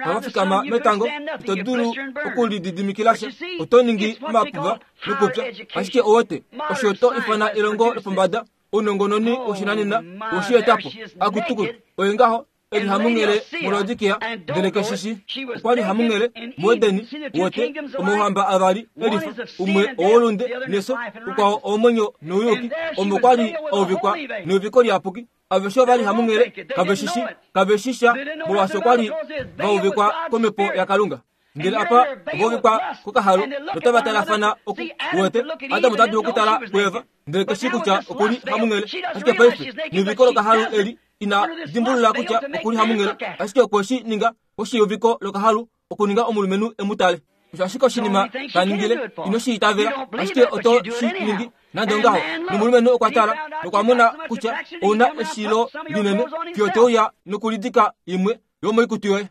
tava fikama metango ito dulu okulididimikila sha oto ningi omapuva nokupya ashike owote osho to ifana elongo lopombada ounongononi woshinanena woshietapo akutukutu oye ngaho eli hamunghele muLaodikia ndele keshishi okwali hamunghele muEdeni wote omauhamba avali elifa umwe owolunde neso ukwao owomwenyo nouyuki omo kwali auvikwa neuviko liyapuki aveshe ovali hamunghele kaveshishi kaveshisha molwaashi okwali vauvikwa komhepo yaKalunga ndele apa ovauvikwa kokahalo notava talafana oku wote Adamu ota dulu okutala kuEva ndele keshi kutya okuli hamunghele ashike paife neuviko lokahalo eli ina dimbulula kutya okuli hamunghele ashike okwe shi ninga oshiuviko lokahalu okuninga omulumenhu emutale osho ashike oshinima taningile ino shi itavela ashike oto shi ningi nande ongaho nomulumenhu okwa tala nokwa mona kutya ouna eshilo linene fiyo teuya nokulidika imwe yomoikutu yoye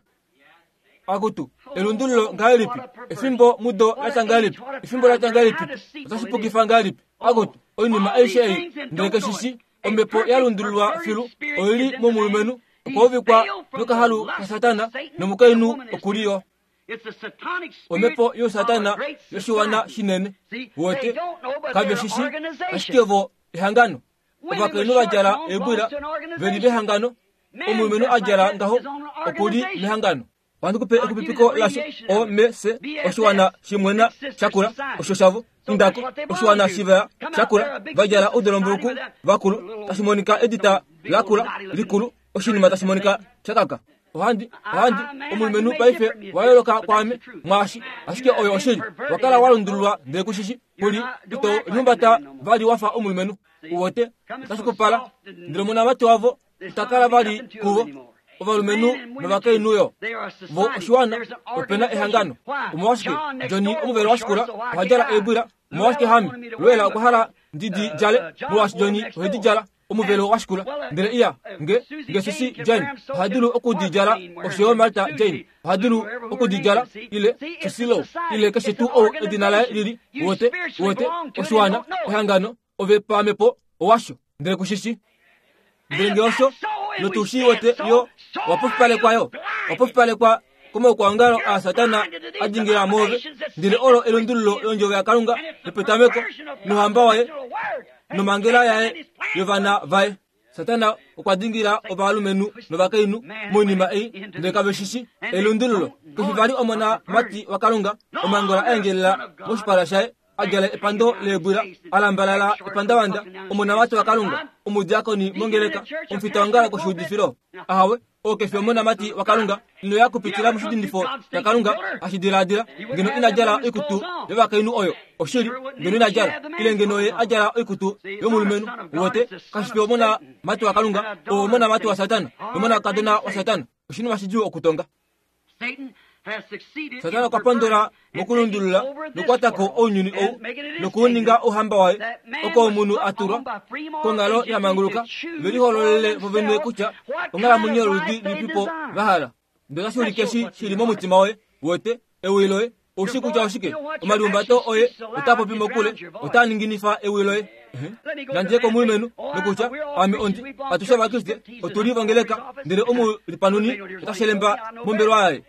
akutu elundululo ngahelipi efimbo mudo latya ngahelipi efimbo latya ngahelipi otashi pukifa ngahelipi akutu oinima aishe ei ndele keshishi omhepo ya lundululwa filu oili momulumenhu okwauvikwa nokahalu kaSatana nomukainhu okuliyo omhepo yoSatana yoshiwana shinene wote kaveshishi ashike vo ehangano ovakainhu va djala eebwila veli vehangano omulumenhu a djala ngaho okuli mehangano Ohandi kupe ekupipiko lasho O M C oshiwana shimwena shakula osho shavo indako oshiwana shivaya shakula va djala oudolombuluku vakulu tashi monika edita lakula likulu oshinima tashi monika shakaka ohandi ohandi omulumenhu paife wa yooloka kwaame mwaashi ashike oyo oshili wakala wa lundululwa ndele kushishi kuli ito lihumbata vali wafa omulumenhu uwote otashi kupala ndele omonamati wavo itakala vali kuvo ovalumenhu novakainhu yo vo oshiwana opena ehangano omolwashike Johnny omuvelo wa shikula oha djala eebwila omolwashike hami lwela okwa hala ndidi djale molwaashi Johnny ohedi djala omuvelo wa shikula ndele iya nge nge Susie Jane oha dulu okudidjala oshoyo Martha Jane oha dulu okudidjala ile Susilo ile keshe tuu ou edina laye lili wote wote oshiwana ehangano ove pamepo owasho ndele kushishi ndele nge osho notushi wote yo wapofipalekwa yo wapofipalekwa komaukwaongalo a Satana a dingila moove ndele olo elundululo londjovo yaKalunga yopetameko nohamba waye nomangela yaye yovana vaye. Satana okwa dingila ovalumenhu novakainhu moinima ei ndele kaveshishi elundululo keshi vali omona mati waKalunga omangola a endjelela moshipala shaye a djala epando leebwila a lambalala epandavanda omonamati waKalunga omudiakoni mongeleka omufitaongalo koshiudifilo ahawe Oo kefi omonamati waKalunga ino ya kupitila moshidindifo shaKalunga hashi dilaadila ngeno ina djala oikutu yovakainhu oyo oshili ngeno ina djala ile ngeno ye a djala oikutu yomulumenhu wote kashi fi omonamati waKalunga oo omonamati waSatana nomonakadona waSatana oshinima shidjuu okutonga. Satana okwa pondola mokulundulula nokukwatako ounyuni ou nokuuninga ouhamba waye oko omunhu a tulwa konghalo ya manguluka velihololele vovene kutya onghalamwenyo yoludi lipipo va hala. Ndele otashi ulike shi shili momutima woye wote ewi loye oushi kutya oshike omalihumbato oye otaa popi mokule otaa ninginifa ewi loye. Nandje komulumenhu nokutya ame ondi atushe Ovakriste otuli vongeleka ndele omulipanuni otashi lemba mombelwa yaye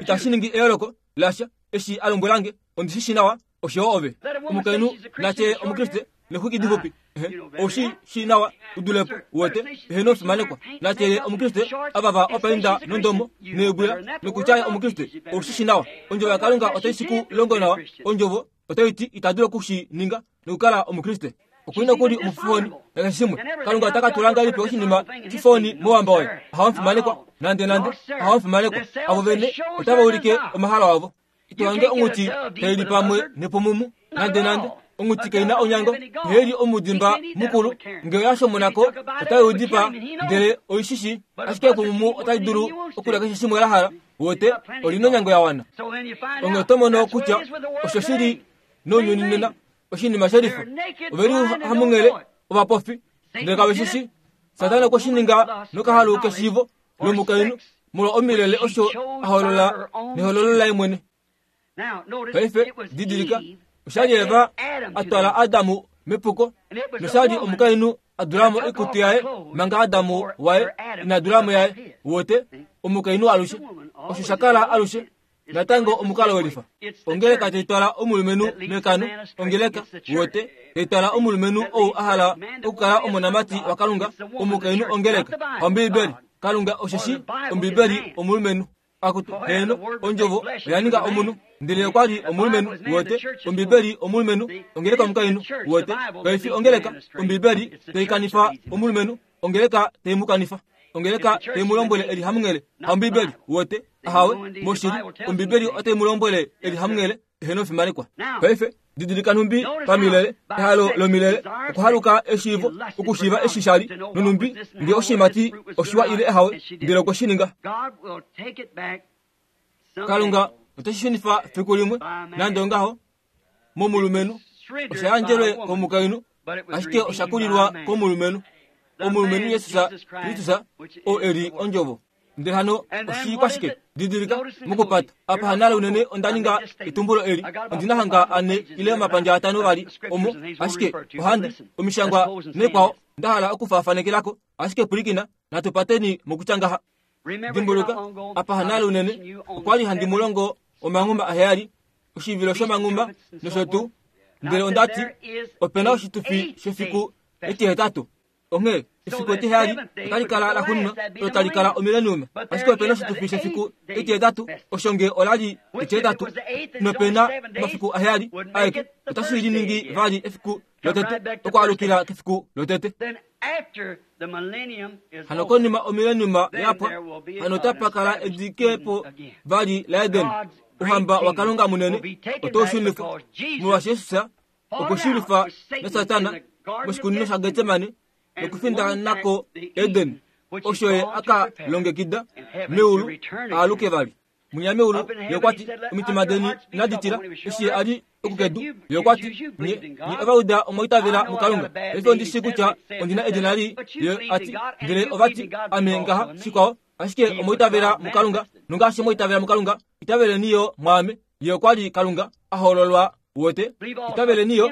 itashi ningi eyooloko lasha eshi a lombwelange ondi shi shi nawa oshowo ove omukainhu natye omukriste nexwiki difupi oushi shi nawa udulepo wote eheno omufimanekwa natye omukriste avava opainda nondomo neebwila nokutya omukriste oushi shi nawa ondjovo yaKalunga otai shi ku longo nawa ondjovo otai ti ita dulu okushi ninga nokukala omukriste okulina kuli omufoni nakeshe shimwe Kalunga ota ka tula ngahelipi oshinima shifoni mouhamba waye ahamufimanekwa nande nande ahamufimanekwa avo vene otava ulike omahalo avo itohange onghuti taili pamwe nepumumu nande nande onghuti kaina onyango iheli omudimba mukulu ngee yashomonako otai udipa ndele oishishi ashike epumumu otai dulu okulya keshe shimwe la hala wote olina onyango ya wana. Onge oto mono kutya osho shili nounyuni nena oshinima shelifa oveli hamunghele ovapofi ndele kave shishi Satana okwe shi ninga nokahalu keshiivo lomukainhu molwa omilele osho a holola nehololo laye mwene. Paife didilika oshali Eva a twala Adamu mepuko noshali omukainhu a dulamo oikutu yaye manga Adamu waye ina dulamo yaye wote omukainhu alushe osho sha kala alushe natango omukalo welifa ongeleka taitwala omulumenhu mekano ongeleka wote taitwala omulumenhu ou a hala okukala omonamati waKalunga omukainhu ongeleka Ombiibeli Kalunga osheshi Ombiibeli omulumenhu akutu heno ondjovo oya ninga omunhu ndele okwa li omulumenhu wote Ombiibeli omulumenhu ongeleka omukainhu wote kaifi ongeleka Ombiibeli taikanifa omulumenhu ongeleka taimukanifa ongeleka taimulombwele eli hamunghele Ombiibeli wote ahawe moshili Ombiibeli otai mulombwele eli hamunghele eheno fimanekwa. Paife didilika nhumbi pamilele ehalo lomilele okuhaluka eshiivo okushiiva eshi shali nonhumbi nge oshimati oshiwa ile ehawe ndele okwe shi ninga. Kalunga oteshi shunifa fiku limwe nande ongaho momulumenhu osha yandjelwe komukainhu ashike osha kulilwa komulumenhu omulumenhu Jesus Kristus oo eli ondjovo. Ndele hano oshikwashike didilika mokupata apa hanale unene onda ninga etumbulo eli ondina hanga ane ile omapandja atano vali omo ashike ohandi omishangwa nekwao nda hala okufaafanekelako ashike pulikina natupateni mokutya dimbuluka apa hanale unene okwali handi mulongo omangumba aheyali oshivilo shomangumba nosho tuu ndele ondati opena oshitufi shefiku etihetatu onge efiku etiheyali otali kala la xuninwa olo tali kala omileniuma ashike opena oshitufi shefiku etihetatu osho nge olali etihetatu nopena omafiku aheyali aeke otashi liningi vali efiku lotete okwaalukila kefiku lotete. Hano konima omileniuma yapwa hano otapa kala edikepo vali la Eden ouhamba waKalunga munene otoushunifwa molwaashi Jesus okweshulifa naSatana moshikunino shaGetsemane nokufinda nako Eden osho ye aka longekida meulu aaluke vali munya meulu yokwati omitima deni inadi tila eshi ye ali okukedu yokwati nye nye ovauda omwaitavela muKalunga paife ondi shi kutya ondina edina li ye ati ndele ovati ame ngaha shikwao ashike omwaitavela muKalunga nongaashi mwaitavela muKalunga itaveleni yo mwaame ye okwali Kalunga a hololwa wote itaveleni yo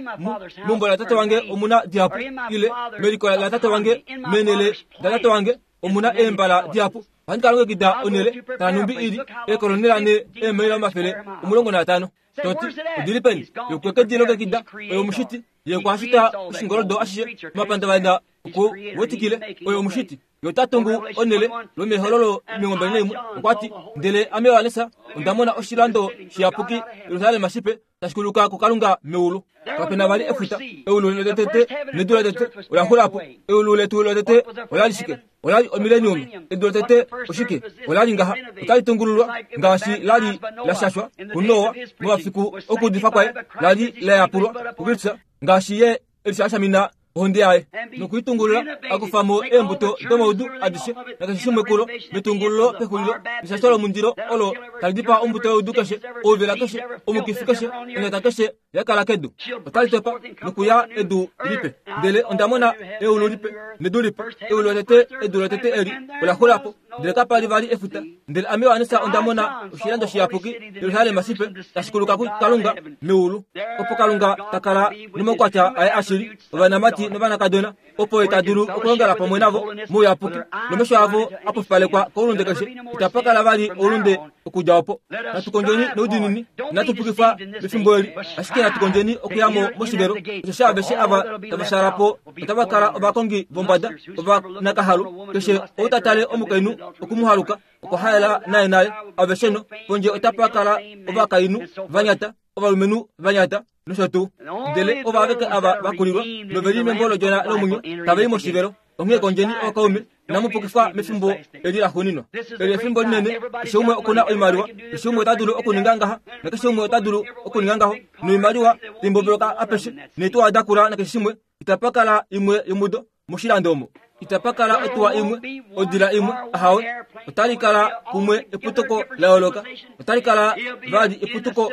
meumbo latate wange omuna dihapu ile meliko latate wange menele latate wange omuna eembala dihapu ohandi ka longekida onele tanumbi ili ekolonela ne eemaila omafele omulongo naatano toti odili peni yokweke dilongekida oyo omushiti ye kwashita oshingoldo ashishe omapandavanda oku wetikile oyo omushiti yotatungu onele lomehololo emilongo mbali naimwe okwati ndele ame Yohanesa onda mona oshilando shiyapuki Yerusalem shipe tashi kuluka kuKalunga meulu. Kapena vali efuta eulu lotete nedu lotete ola xulapo eulu letu lotete ola li shike Ola li omilenium. Edu lotete oshike? Ola li ngaha. Otali tungululwa ngaashi la li la shashwa kuNoa momafiku okuudifa kwaye, la li la yapulwa kuKristus ngaashi ye elishashamina ohonde yaye nokuitungulula akufa mo eembuto domaudu adishe nakeshe shimwe kulo metungululo pexulilo eshasho lomundilo olo tali dipaa ombuto youdu keshe, ouvela keshe, omukifi keshe, onyata keshe yakala kedu. Otali topa nokuya edu lipe. Ndele onda mona eulu lipe nedu lipe. Eulu lotete, edu lotete eli ola xula po, ndele kapa li vali efuta. Ndele ame Johannes onda mona oshilando shiyapuki Jerusalem shipe tashi kuluka kuKalunga meulu, opo Kalunga ta kala nomaukwatya aye ashili, ovanamati novanakadona, opo ye ta dulu okulongela pamwe navo mouyapuki, nomesho avo a pupalekwa koulunde keshe. Itapa kala vali oulunde okudja opo. Natu kondjeni noudiinini, inatu pukifwa mefimbo eli, ashike natu kondjeni okuya mo moshivelo, osheshi aveshe ava tava shaala po otava kala ovakongi vombada, ovanakahalu. Keshe ou ta tale omukainhu okumuhaluka, okwa haela naye nale. Aveshe no pondje otapa kala ovakainhu vanyata, ovalumenhu vanyata nosho tuu. Ndele ovo aveke ava vakulilwa noveli membo lodjona lomwenyo tava i moshivelo. Onghee kondjeni ookaume, inamu pukifwa mefimbo eli laxuuninwa. Eli efimbo linene, keshe umwe okuna oimaliwa, keshe umwe ota dulu okuninga ngaha, nakeshe umwe ota dulu okuninga ngaho, noimaliwa timboboloka apeshe, neetuwa dakula nakeshe shimwe. Itapa kala imwe yomudo moshilando omo. Itapa kala otuwa imwe, odila imwe, ahawe. Otali kala kumwe eputuko la yooloka. Otali kala vali eputuko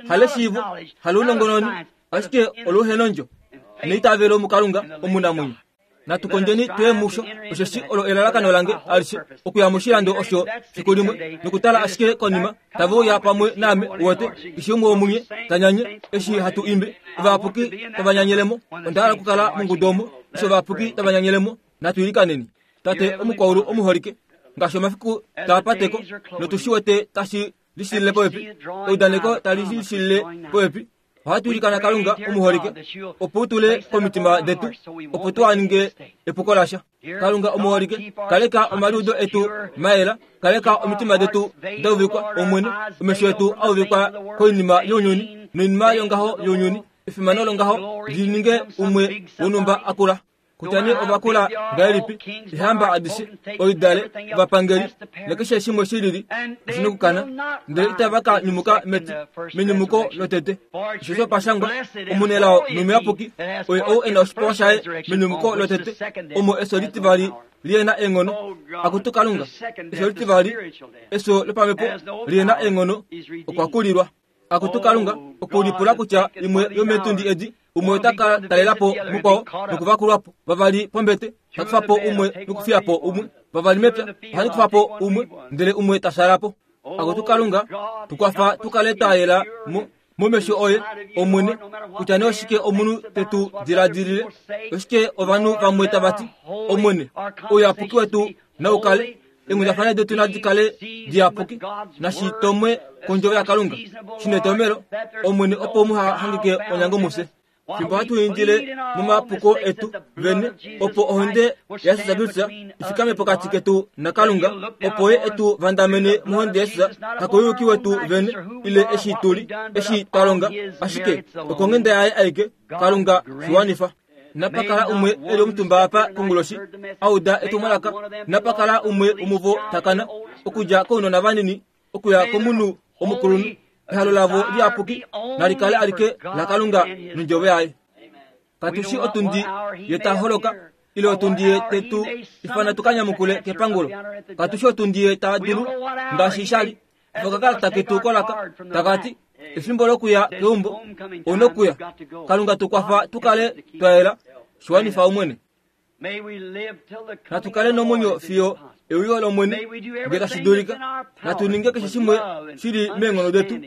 haleshiivo, halounongononi, ashike oluhenondjo neitavelo muKalunga omunamwenyo. Natu kondjeni tuye musho, osheshi olo elalakano lange alishe, okuya moshilando osho fiku limwe nokutala ashike konima tave uya pamwe naame. Wote keshe umwe womunye tanyanye eshi hatu imbe, ovayapuki tava nyanyelemo. Onda hala okukala mongudu omo eshi ovayapuki tava nyanyelemo. Natu ilikaneni. Tate omukwaulu omuholike, ngaashi omafiku taa pateko notu shi wete tashi lishilile popepi, eudaneko tali lishilile popepi, ohatu ilikana Kalunga omuholike opo u tule komitima detu, opo tuha ninge epuko lasha. Kalunga omuholike, kaleka omaliudo etu mayela, kaleka omitima detu da uvikwa Omwene, omesho etu a uvikwa koinima younyuni noinima yongaho younyuni, efimano longaho li ninge umwe wonhumba akula. Kutya nee ovakula ngahelipi, eehamba adishe, oidale, ovapangeli nakeshe shimwe shilili oshi nokukana, ndele itava ka nyumuka meti menyumuko lotete. Osheshi opashangwa, omunelao nomuyapuki oye ou e na oshipewa shaye menyumuko lotete, omo efyo litivali lihena eenghono. Akutu Kalunga, efyo litivali, efyo lopamhepo lihena eenghono, okwa kulilwa. Akutu Kalunga, okulipula kutya imwe yomeetundi edi umwe ota ka talela po mukwao nokuvakulwa po, vavali pombete ta kufa po umwe nokufiya po umwe, vavali mepya ohali kufa po umwe, ndele umwe ta shaala po. Akutu Kalunga, tukwafa tukale twa yela mo momesho oye Omwene, kutya nee oshike omunhu te tu diladilile, oshike ovanhu vamwe tava ti, Omwene, ouyapuki wetu nau kale, eenghundafana detu nadi kale diyapuki, nashi tomwe kondjovo yaKalunga shinetomelo, Omwene, opo muha hangike onyango mufye. Fimbo hatu indile momapuko etu vene, opo ohonde yaJesus Kristus ifikame pokati ketu naKalunga, opo ye etu vandamene mohonde yaJesus, hakouyuki wetu vene, ile eshi tuli, eshi twa longa, ashike okonghenda yaye aike, Kalunga shiwanifa. Napa kala umwe eli omutumba apa konguloshi a uda etumwalaka, napa kala umwe womuvo takana, okudja kounona vanini okuya komunhu omukulunhu, ehalo lavo liyapuki nali kale alike laKalunga nondjovo yaye. Katu shi otundi ye ta holoka, ile otundi ye te tu ifana tu ka nyamukule kepangulo. Katu shi otundi ye ta dulu ngaashi sha li. Okakalata ketu kolaka taka ti, efimbo lokuya keumbo onokuya. Kalunga tu kwafa tu kale twa yela, shiwanifa Omwene. Natu kale nomwenyo fiyo euyo lOmwene ngee tashi dulika. Natu ninge keshe shimwe shili meenghono detu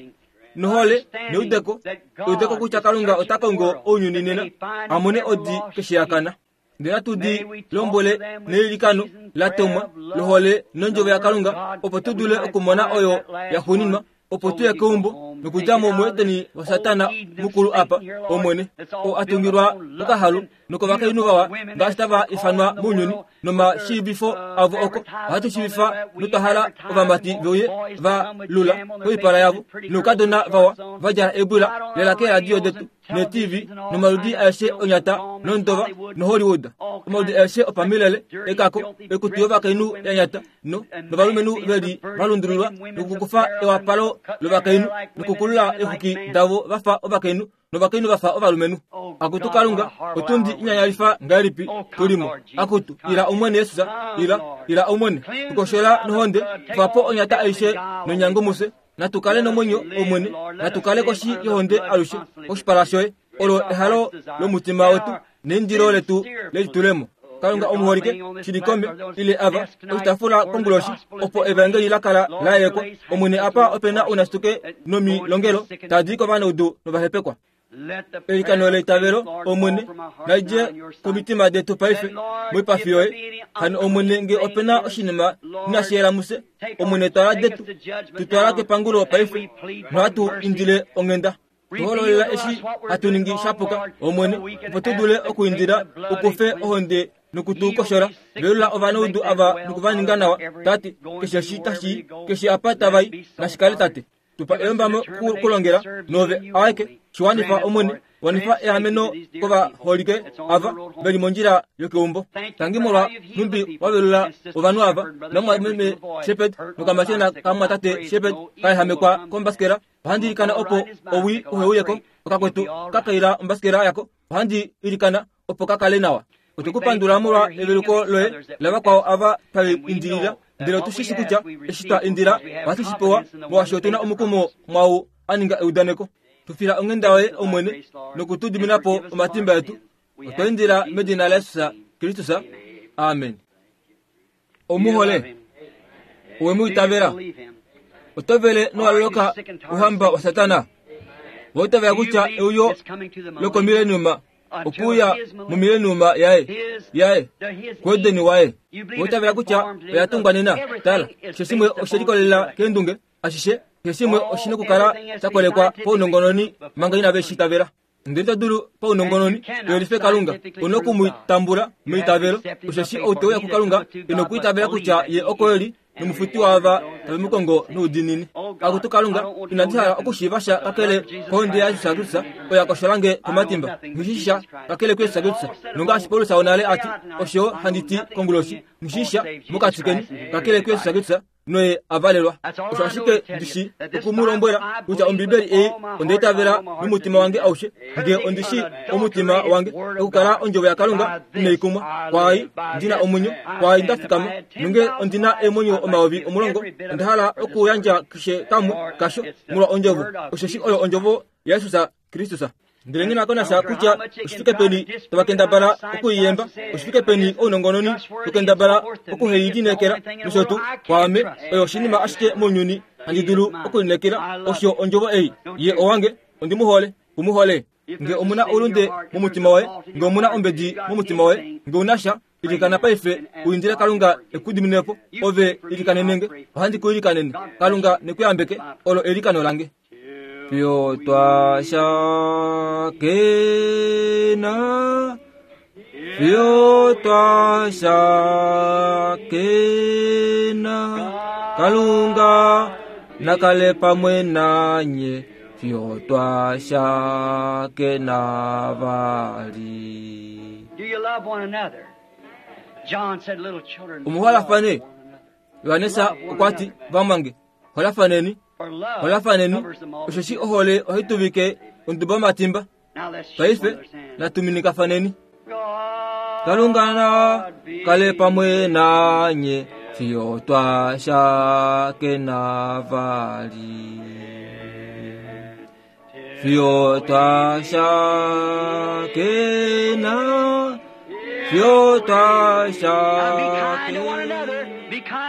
nohole neudeko, eudeko kutya Kalunga ota kongo ounyuni nena a mone odi keshe ya kana. Ndele natu di lombwele neilikano la tomwa lohole nondjovo yaKalunga, opo tu dule okumona oyo ya xuuninwa Opo tuye keumbo nokudja mo muEdeni waSatana mukulu apa Omwene oo a tungilwa kokahalu nokovakainhu vawa ngaashi tava ifanwa mounyuni nomashiivifo avo oko ohatu shiivifa notwa hala ovamati veuye va lula koipala yavo noukadona vawa va djala eebwila lela keeradio detu ne-T V nomaludi aeshe onyata nondova noHollywood omaludi aeshe opamilele ekako ekutu yovakainhu ya nyata no novalumenhu veli valundululwa nokukufa ewapalo lovakainhu nokukulula eexwiki davo vafa ovakainhu novakainhu vafa ovalumenhu. Akutu Kalunga, otundi inyanyalifa ngahelipi tulimo. Akutu ila Omwene Yesus, ila ila Omwene, tukoshola nohonde, kufa po onyata aishe nonyango mufye. Natukale nomwenyo Omwene, natukale koshi yohonde alushe koshipala shoye. Olo ehalo lomutima wetu neindilo letu lelitulemo. Kalunga omuholike shilikome ile ava oshitafula konguloshi opo evangeli la kala la yelekwa. Omwene apa opena ounasituke nomilongelo tadi kovanaudu novahepekwa. Elikano leitavelo Omwene nalidje komitima detu paife moipafi yoye. Hano Omwene nge opena oshinima inashi yela mufye, Omwene twala detu tutwala kepangulo paife nohatu indile onghenda. Tuhololela eshi hatu ningi shapuka Omwene opo tu dule okuindila ukufe ohonde nokutukoshola. Velula ovanaudu ava nokuvaninga nawa Tate, keshe eshi tashi keshe apa tavai nashikale Tate. Tupa eyombamo kulongela nove aeke shiwanifa Omwene, wanifa eameno kovaholike ava veli mondjila yokeumbo. Tangi molwa nhumbi wavelula ovanhu ava namwameme Shepherd nokamashena kamwatate Shepherd kaehamekwa kombasikela. Ohandi ilikana opo owi uheuyeko okakwetu kakaila ombasikela yako. Ohandi ilikana opo kakale nawa. Otukupandula molwa eveluko loye lavakwao ava tave indilila, ndele otushishi kutya eshi twa indila ohatu shi pewa molwaashi otuna omukumo mwau a ninga eudaneko. Tufila onghenda yoye Omwene nokutudiminapo omatimba etu. Otwa indila medina laJesus Kristus. Amen. Omuhole owe mu itavela, oto vele nowaloloka ouhamba waSatana. Wa itavela kutya euyo lokomileniuma okuuya momileniuma yaye yaye kuEdeni waye. Wa itavela kutya oya tungwa nena. Tala, keshe shimwe oshe likolelela keendunge ashishe, keshe shimwe oshina okukala sha kolekwa paunongononi manga inave shi itavela. Ndele ito dulu paunongononi uyelife Kalunga, una okumutambula meitavelo. Osheshi ou te uya kuKalunga ino okwiitavela kutya ye oko eli nomufuti waava tave mu kongo noudiinini. Akutu Kalunga, inandi hala okushiiva sha kakele kohonde yaJesus Kristus oyo ya koshola nge komatimba. Nghishisha kakele kuJesus Kristus. Nongaashi Paulus wonale ati, osho handi ti konguloshi, nghishisha mokati keni kakele kuJesus Kristus noye avalelwa. Osho ashike ndishi okumulombwela kutya Ombibeli ei ondeitavela nomutima wange aushe, nge ondishi omutima wange okukala ondjovo yaKalunga inaikumwa, kwaai ndina omwenyo, kwaai ndafikama, nonge ondina eemwenyo omayovi omulongo, onda hala okuyandja keshe kamwe kasho molwa ondjovo, osheshi oyo ondjovo yaJesus Kristus. Ndele nghi na ko nasha kutya oshifike peni tavakendabala okuiyemba, oshifike peni ounongononi tokendabala okuheilineekela nosho tuu, kwaame oyo oshinima ashike mounyuni handi dulu okulineekela, osho ondjovo ei. Ye owange, ondi mu hole, ku mu hole. Nge omuna oulunde momutima woye, nge omuna ombedi momutima woye, nge una sha, ilikana paife uindile Kalunga ekudiminepo. Ove ilikanenenge, ohandi ku ilikanene. Kalunga nekuyambeke, olo elikano lange. Fiyo twa shakena, fiyo twa shakena, Kalunga nakale pamwe nanye, fiyo twa shakena vali. Do you love one another? John said, little children, Omuholafane. Yohanesa okwa ti, vamwange, holafaneni, holafaneni, osheshi ohole ohai tuvike onduba yomatimba. Paife natuminikafaneni. Kalunga na kale pamwe nanye, fiyo twa shakena vali. Fiyo twa shakena, fiyo twa shakena.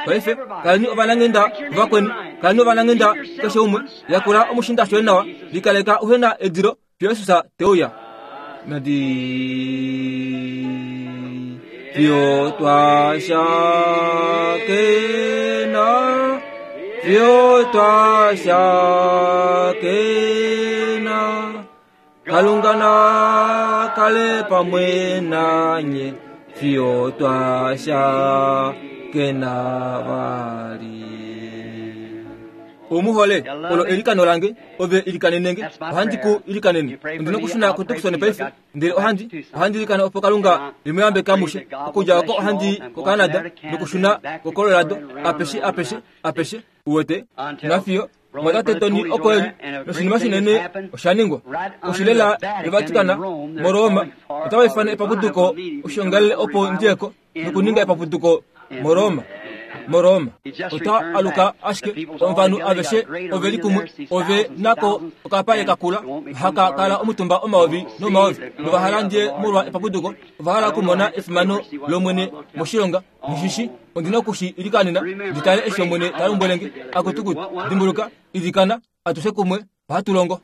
Paife kaleni ovananghenda vakweni, kaleni ovananghenda keshe umwe, yakula omushinda shoye nawa, likaleka uhe na edilo fiyo Jesus te uya. Nadi fiyo twa shakena, Fiyo twashakena Kalunga na kale pamwe nanye fiyo twashakena vali. Umuhole olo elikano lange ove ilikanenenge ohandi ku ilikanene ndino kushuna kutukusone paife ndele ohandi ohandi ilikana opo Kalunga limuyambe kamushe okudja oko ohandi ko Canada nokushuna ko Colorado apeshe apeshe apeshe uwete nafiyo mwatate Tony oko eli noshinima shinene oshaningwa oshilela yoVatikana moRoma otavaifana epaputuko oshiongalele opo ndiyeko nokuninga epaputuko moRoma moRoma ota aluka ashike ovanhu aveshe oveli kumwe ove nako okapale kakula haka kala omutumba omaovi nomaovi novahala ndiye molwa epaputuko ovahala okumona efimano lomwene moshilonga nishishi ondina okushi ilikanena nditale eshi omwene talombwelenge akutukutu dimbuluka ilikana atushe kumwe ohatulongo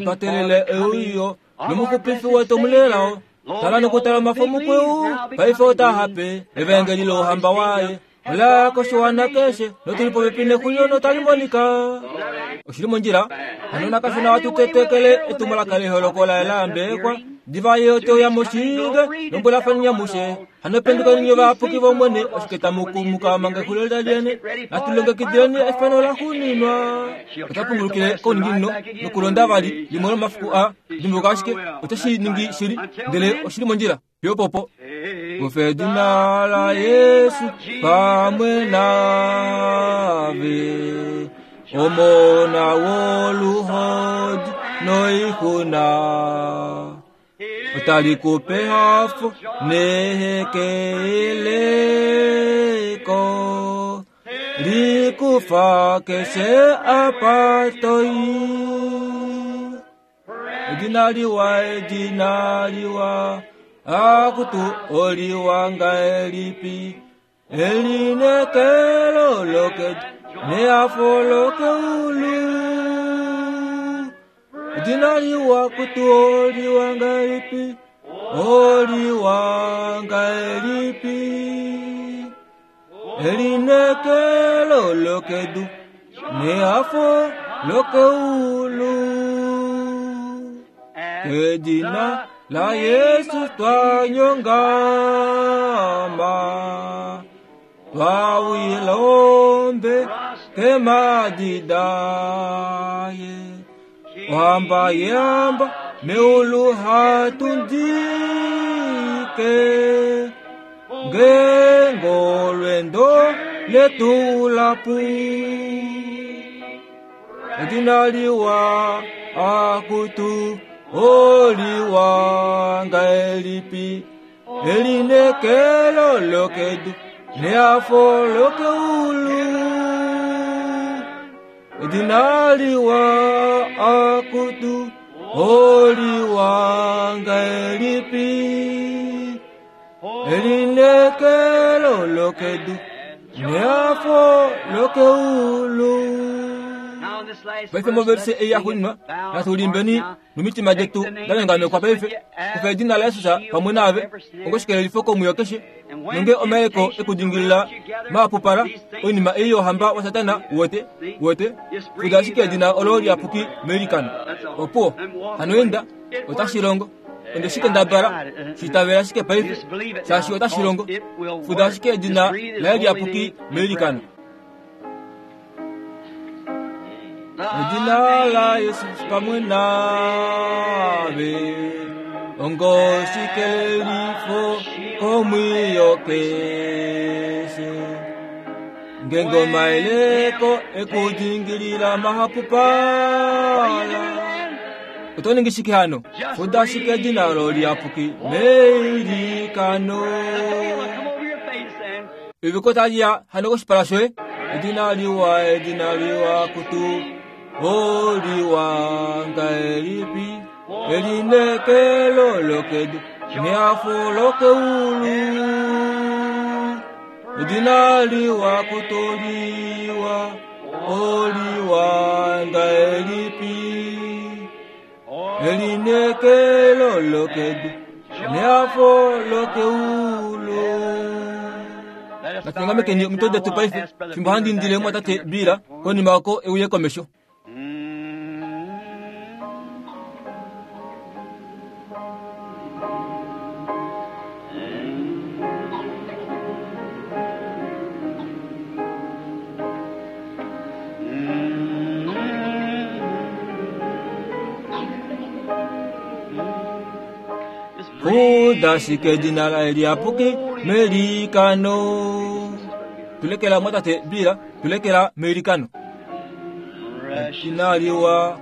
otwatelele euyo nomuxupifi wetu omulelao tala nokutala omafo mukweu paife otahape evangeli louhamba waye ola koshiwana keshe notuli popepi nexulilo notali monika oshili mondjila hano nakashona watutetekele etumwalaka leholoko laye laambekwa diva ye oteuya moshinge lombwelafani nyamushe hano pendukeni vapuki vomwene oshike tamukumuka manga exulilo laliene natulongekidileni efano laxuninwa otapungulukile kouninginino nokulonda vali limwe lomafiku a dimbuluka ashike oteshi ningi shili ndele oshili mondjila yopopo kufedina la Yesu pamwe nave omona woluhodi noixuna otalikupe hafo nehekeleko likufa keshe apa toi edina liwa edina liwa akutu oliwanga elipi elinekelo loke neafo loke ulu edina liwa kutu oliwanga elipi oliwanga elipi elinekelo loke du neafo loke ulu edina la Yesu twanyongama twawilombe kemadidaye wamba yamba meulu hatundike ngengolwendo letulapu edina liwa akutu oliwanga elipi elinekelo lokedu neafo lokeulu edina liwa akutu oliwanga elipi elinekelo lokedu neafo lokeulu. Paife moverse eyi yaxuninwa natulimbeni nomitima jetu dalengamekwa paife kufa edina la Yesu pamwe nave ongoshikelelifo komwiyo keshe nonge omayeko ekudingilila maapupala oinima eyi yohamba wa Satana uwete uwete fuda ashike edina olo liapuki meilikano opuwo hano enda otashilongo onde shike ndabala shitavela ashike paife shaashi otashilongo fuda ashike edina laye liapuki meilikano. Edina la Yesu pamwe nave ongoshikelelifo komwiyo keshe ngengoma eleko ekudingilila mahapupala otoningishike hano fuda ashike edina olo liapuki meilikano eviko taliya hano koshipala shoye edina liwa edina liwa kutu oliwanga elipi elinekelo lokedu neafo lokeulu edina liwa kutoliwa oliwanga elipi elinekelo lokedu neafo lokeulu. Natunyongamekeni omitwe detu paife fimbo handi indile mwatate Bila konima oko euye komesho. Udashike edina laye liyapuki melikano. Tulekela mwatate Bila, tulekela meilikano. Edina liwa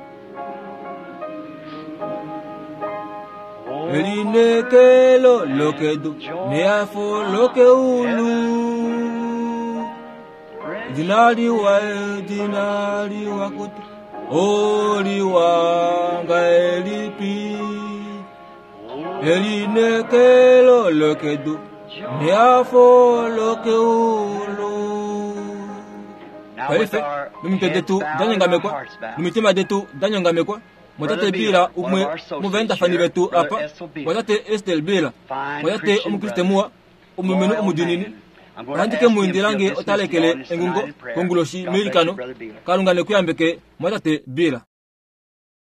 elinekelo lokedu nehafo lokeulu. Edina liwa, edina liwa kutu oliwa ngahelipi. Elinekelo lokedu nehafo lokeulu. Paife nomitwe detu danyongamekwa nomitima detu danyongamekwa mwatate Bila umwe muvaendafani vetu apa mwatate Estel Bila mwatate omukriste muwa omulumenhu omudinini ohandi ke mu indila nge otalekele engungo konguloshi meilikano. Kalunga nekuyambeke mwatate Bila.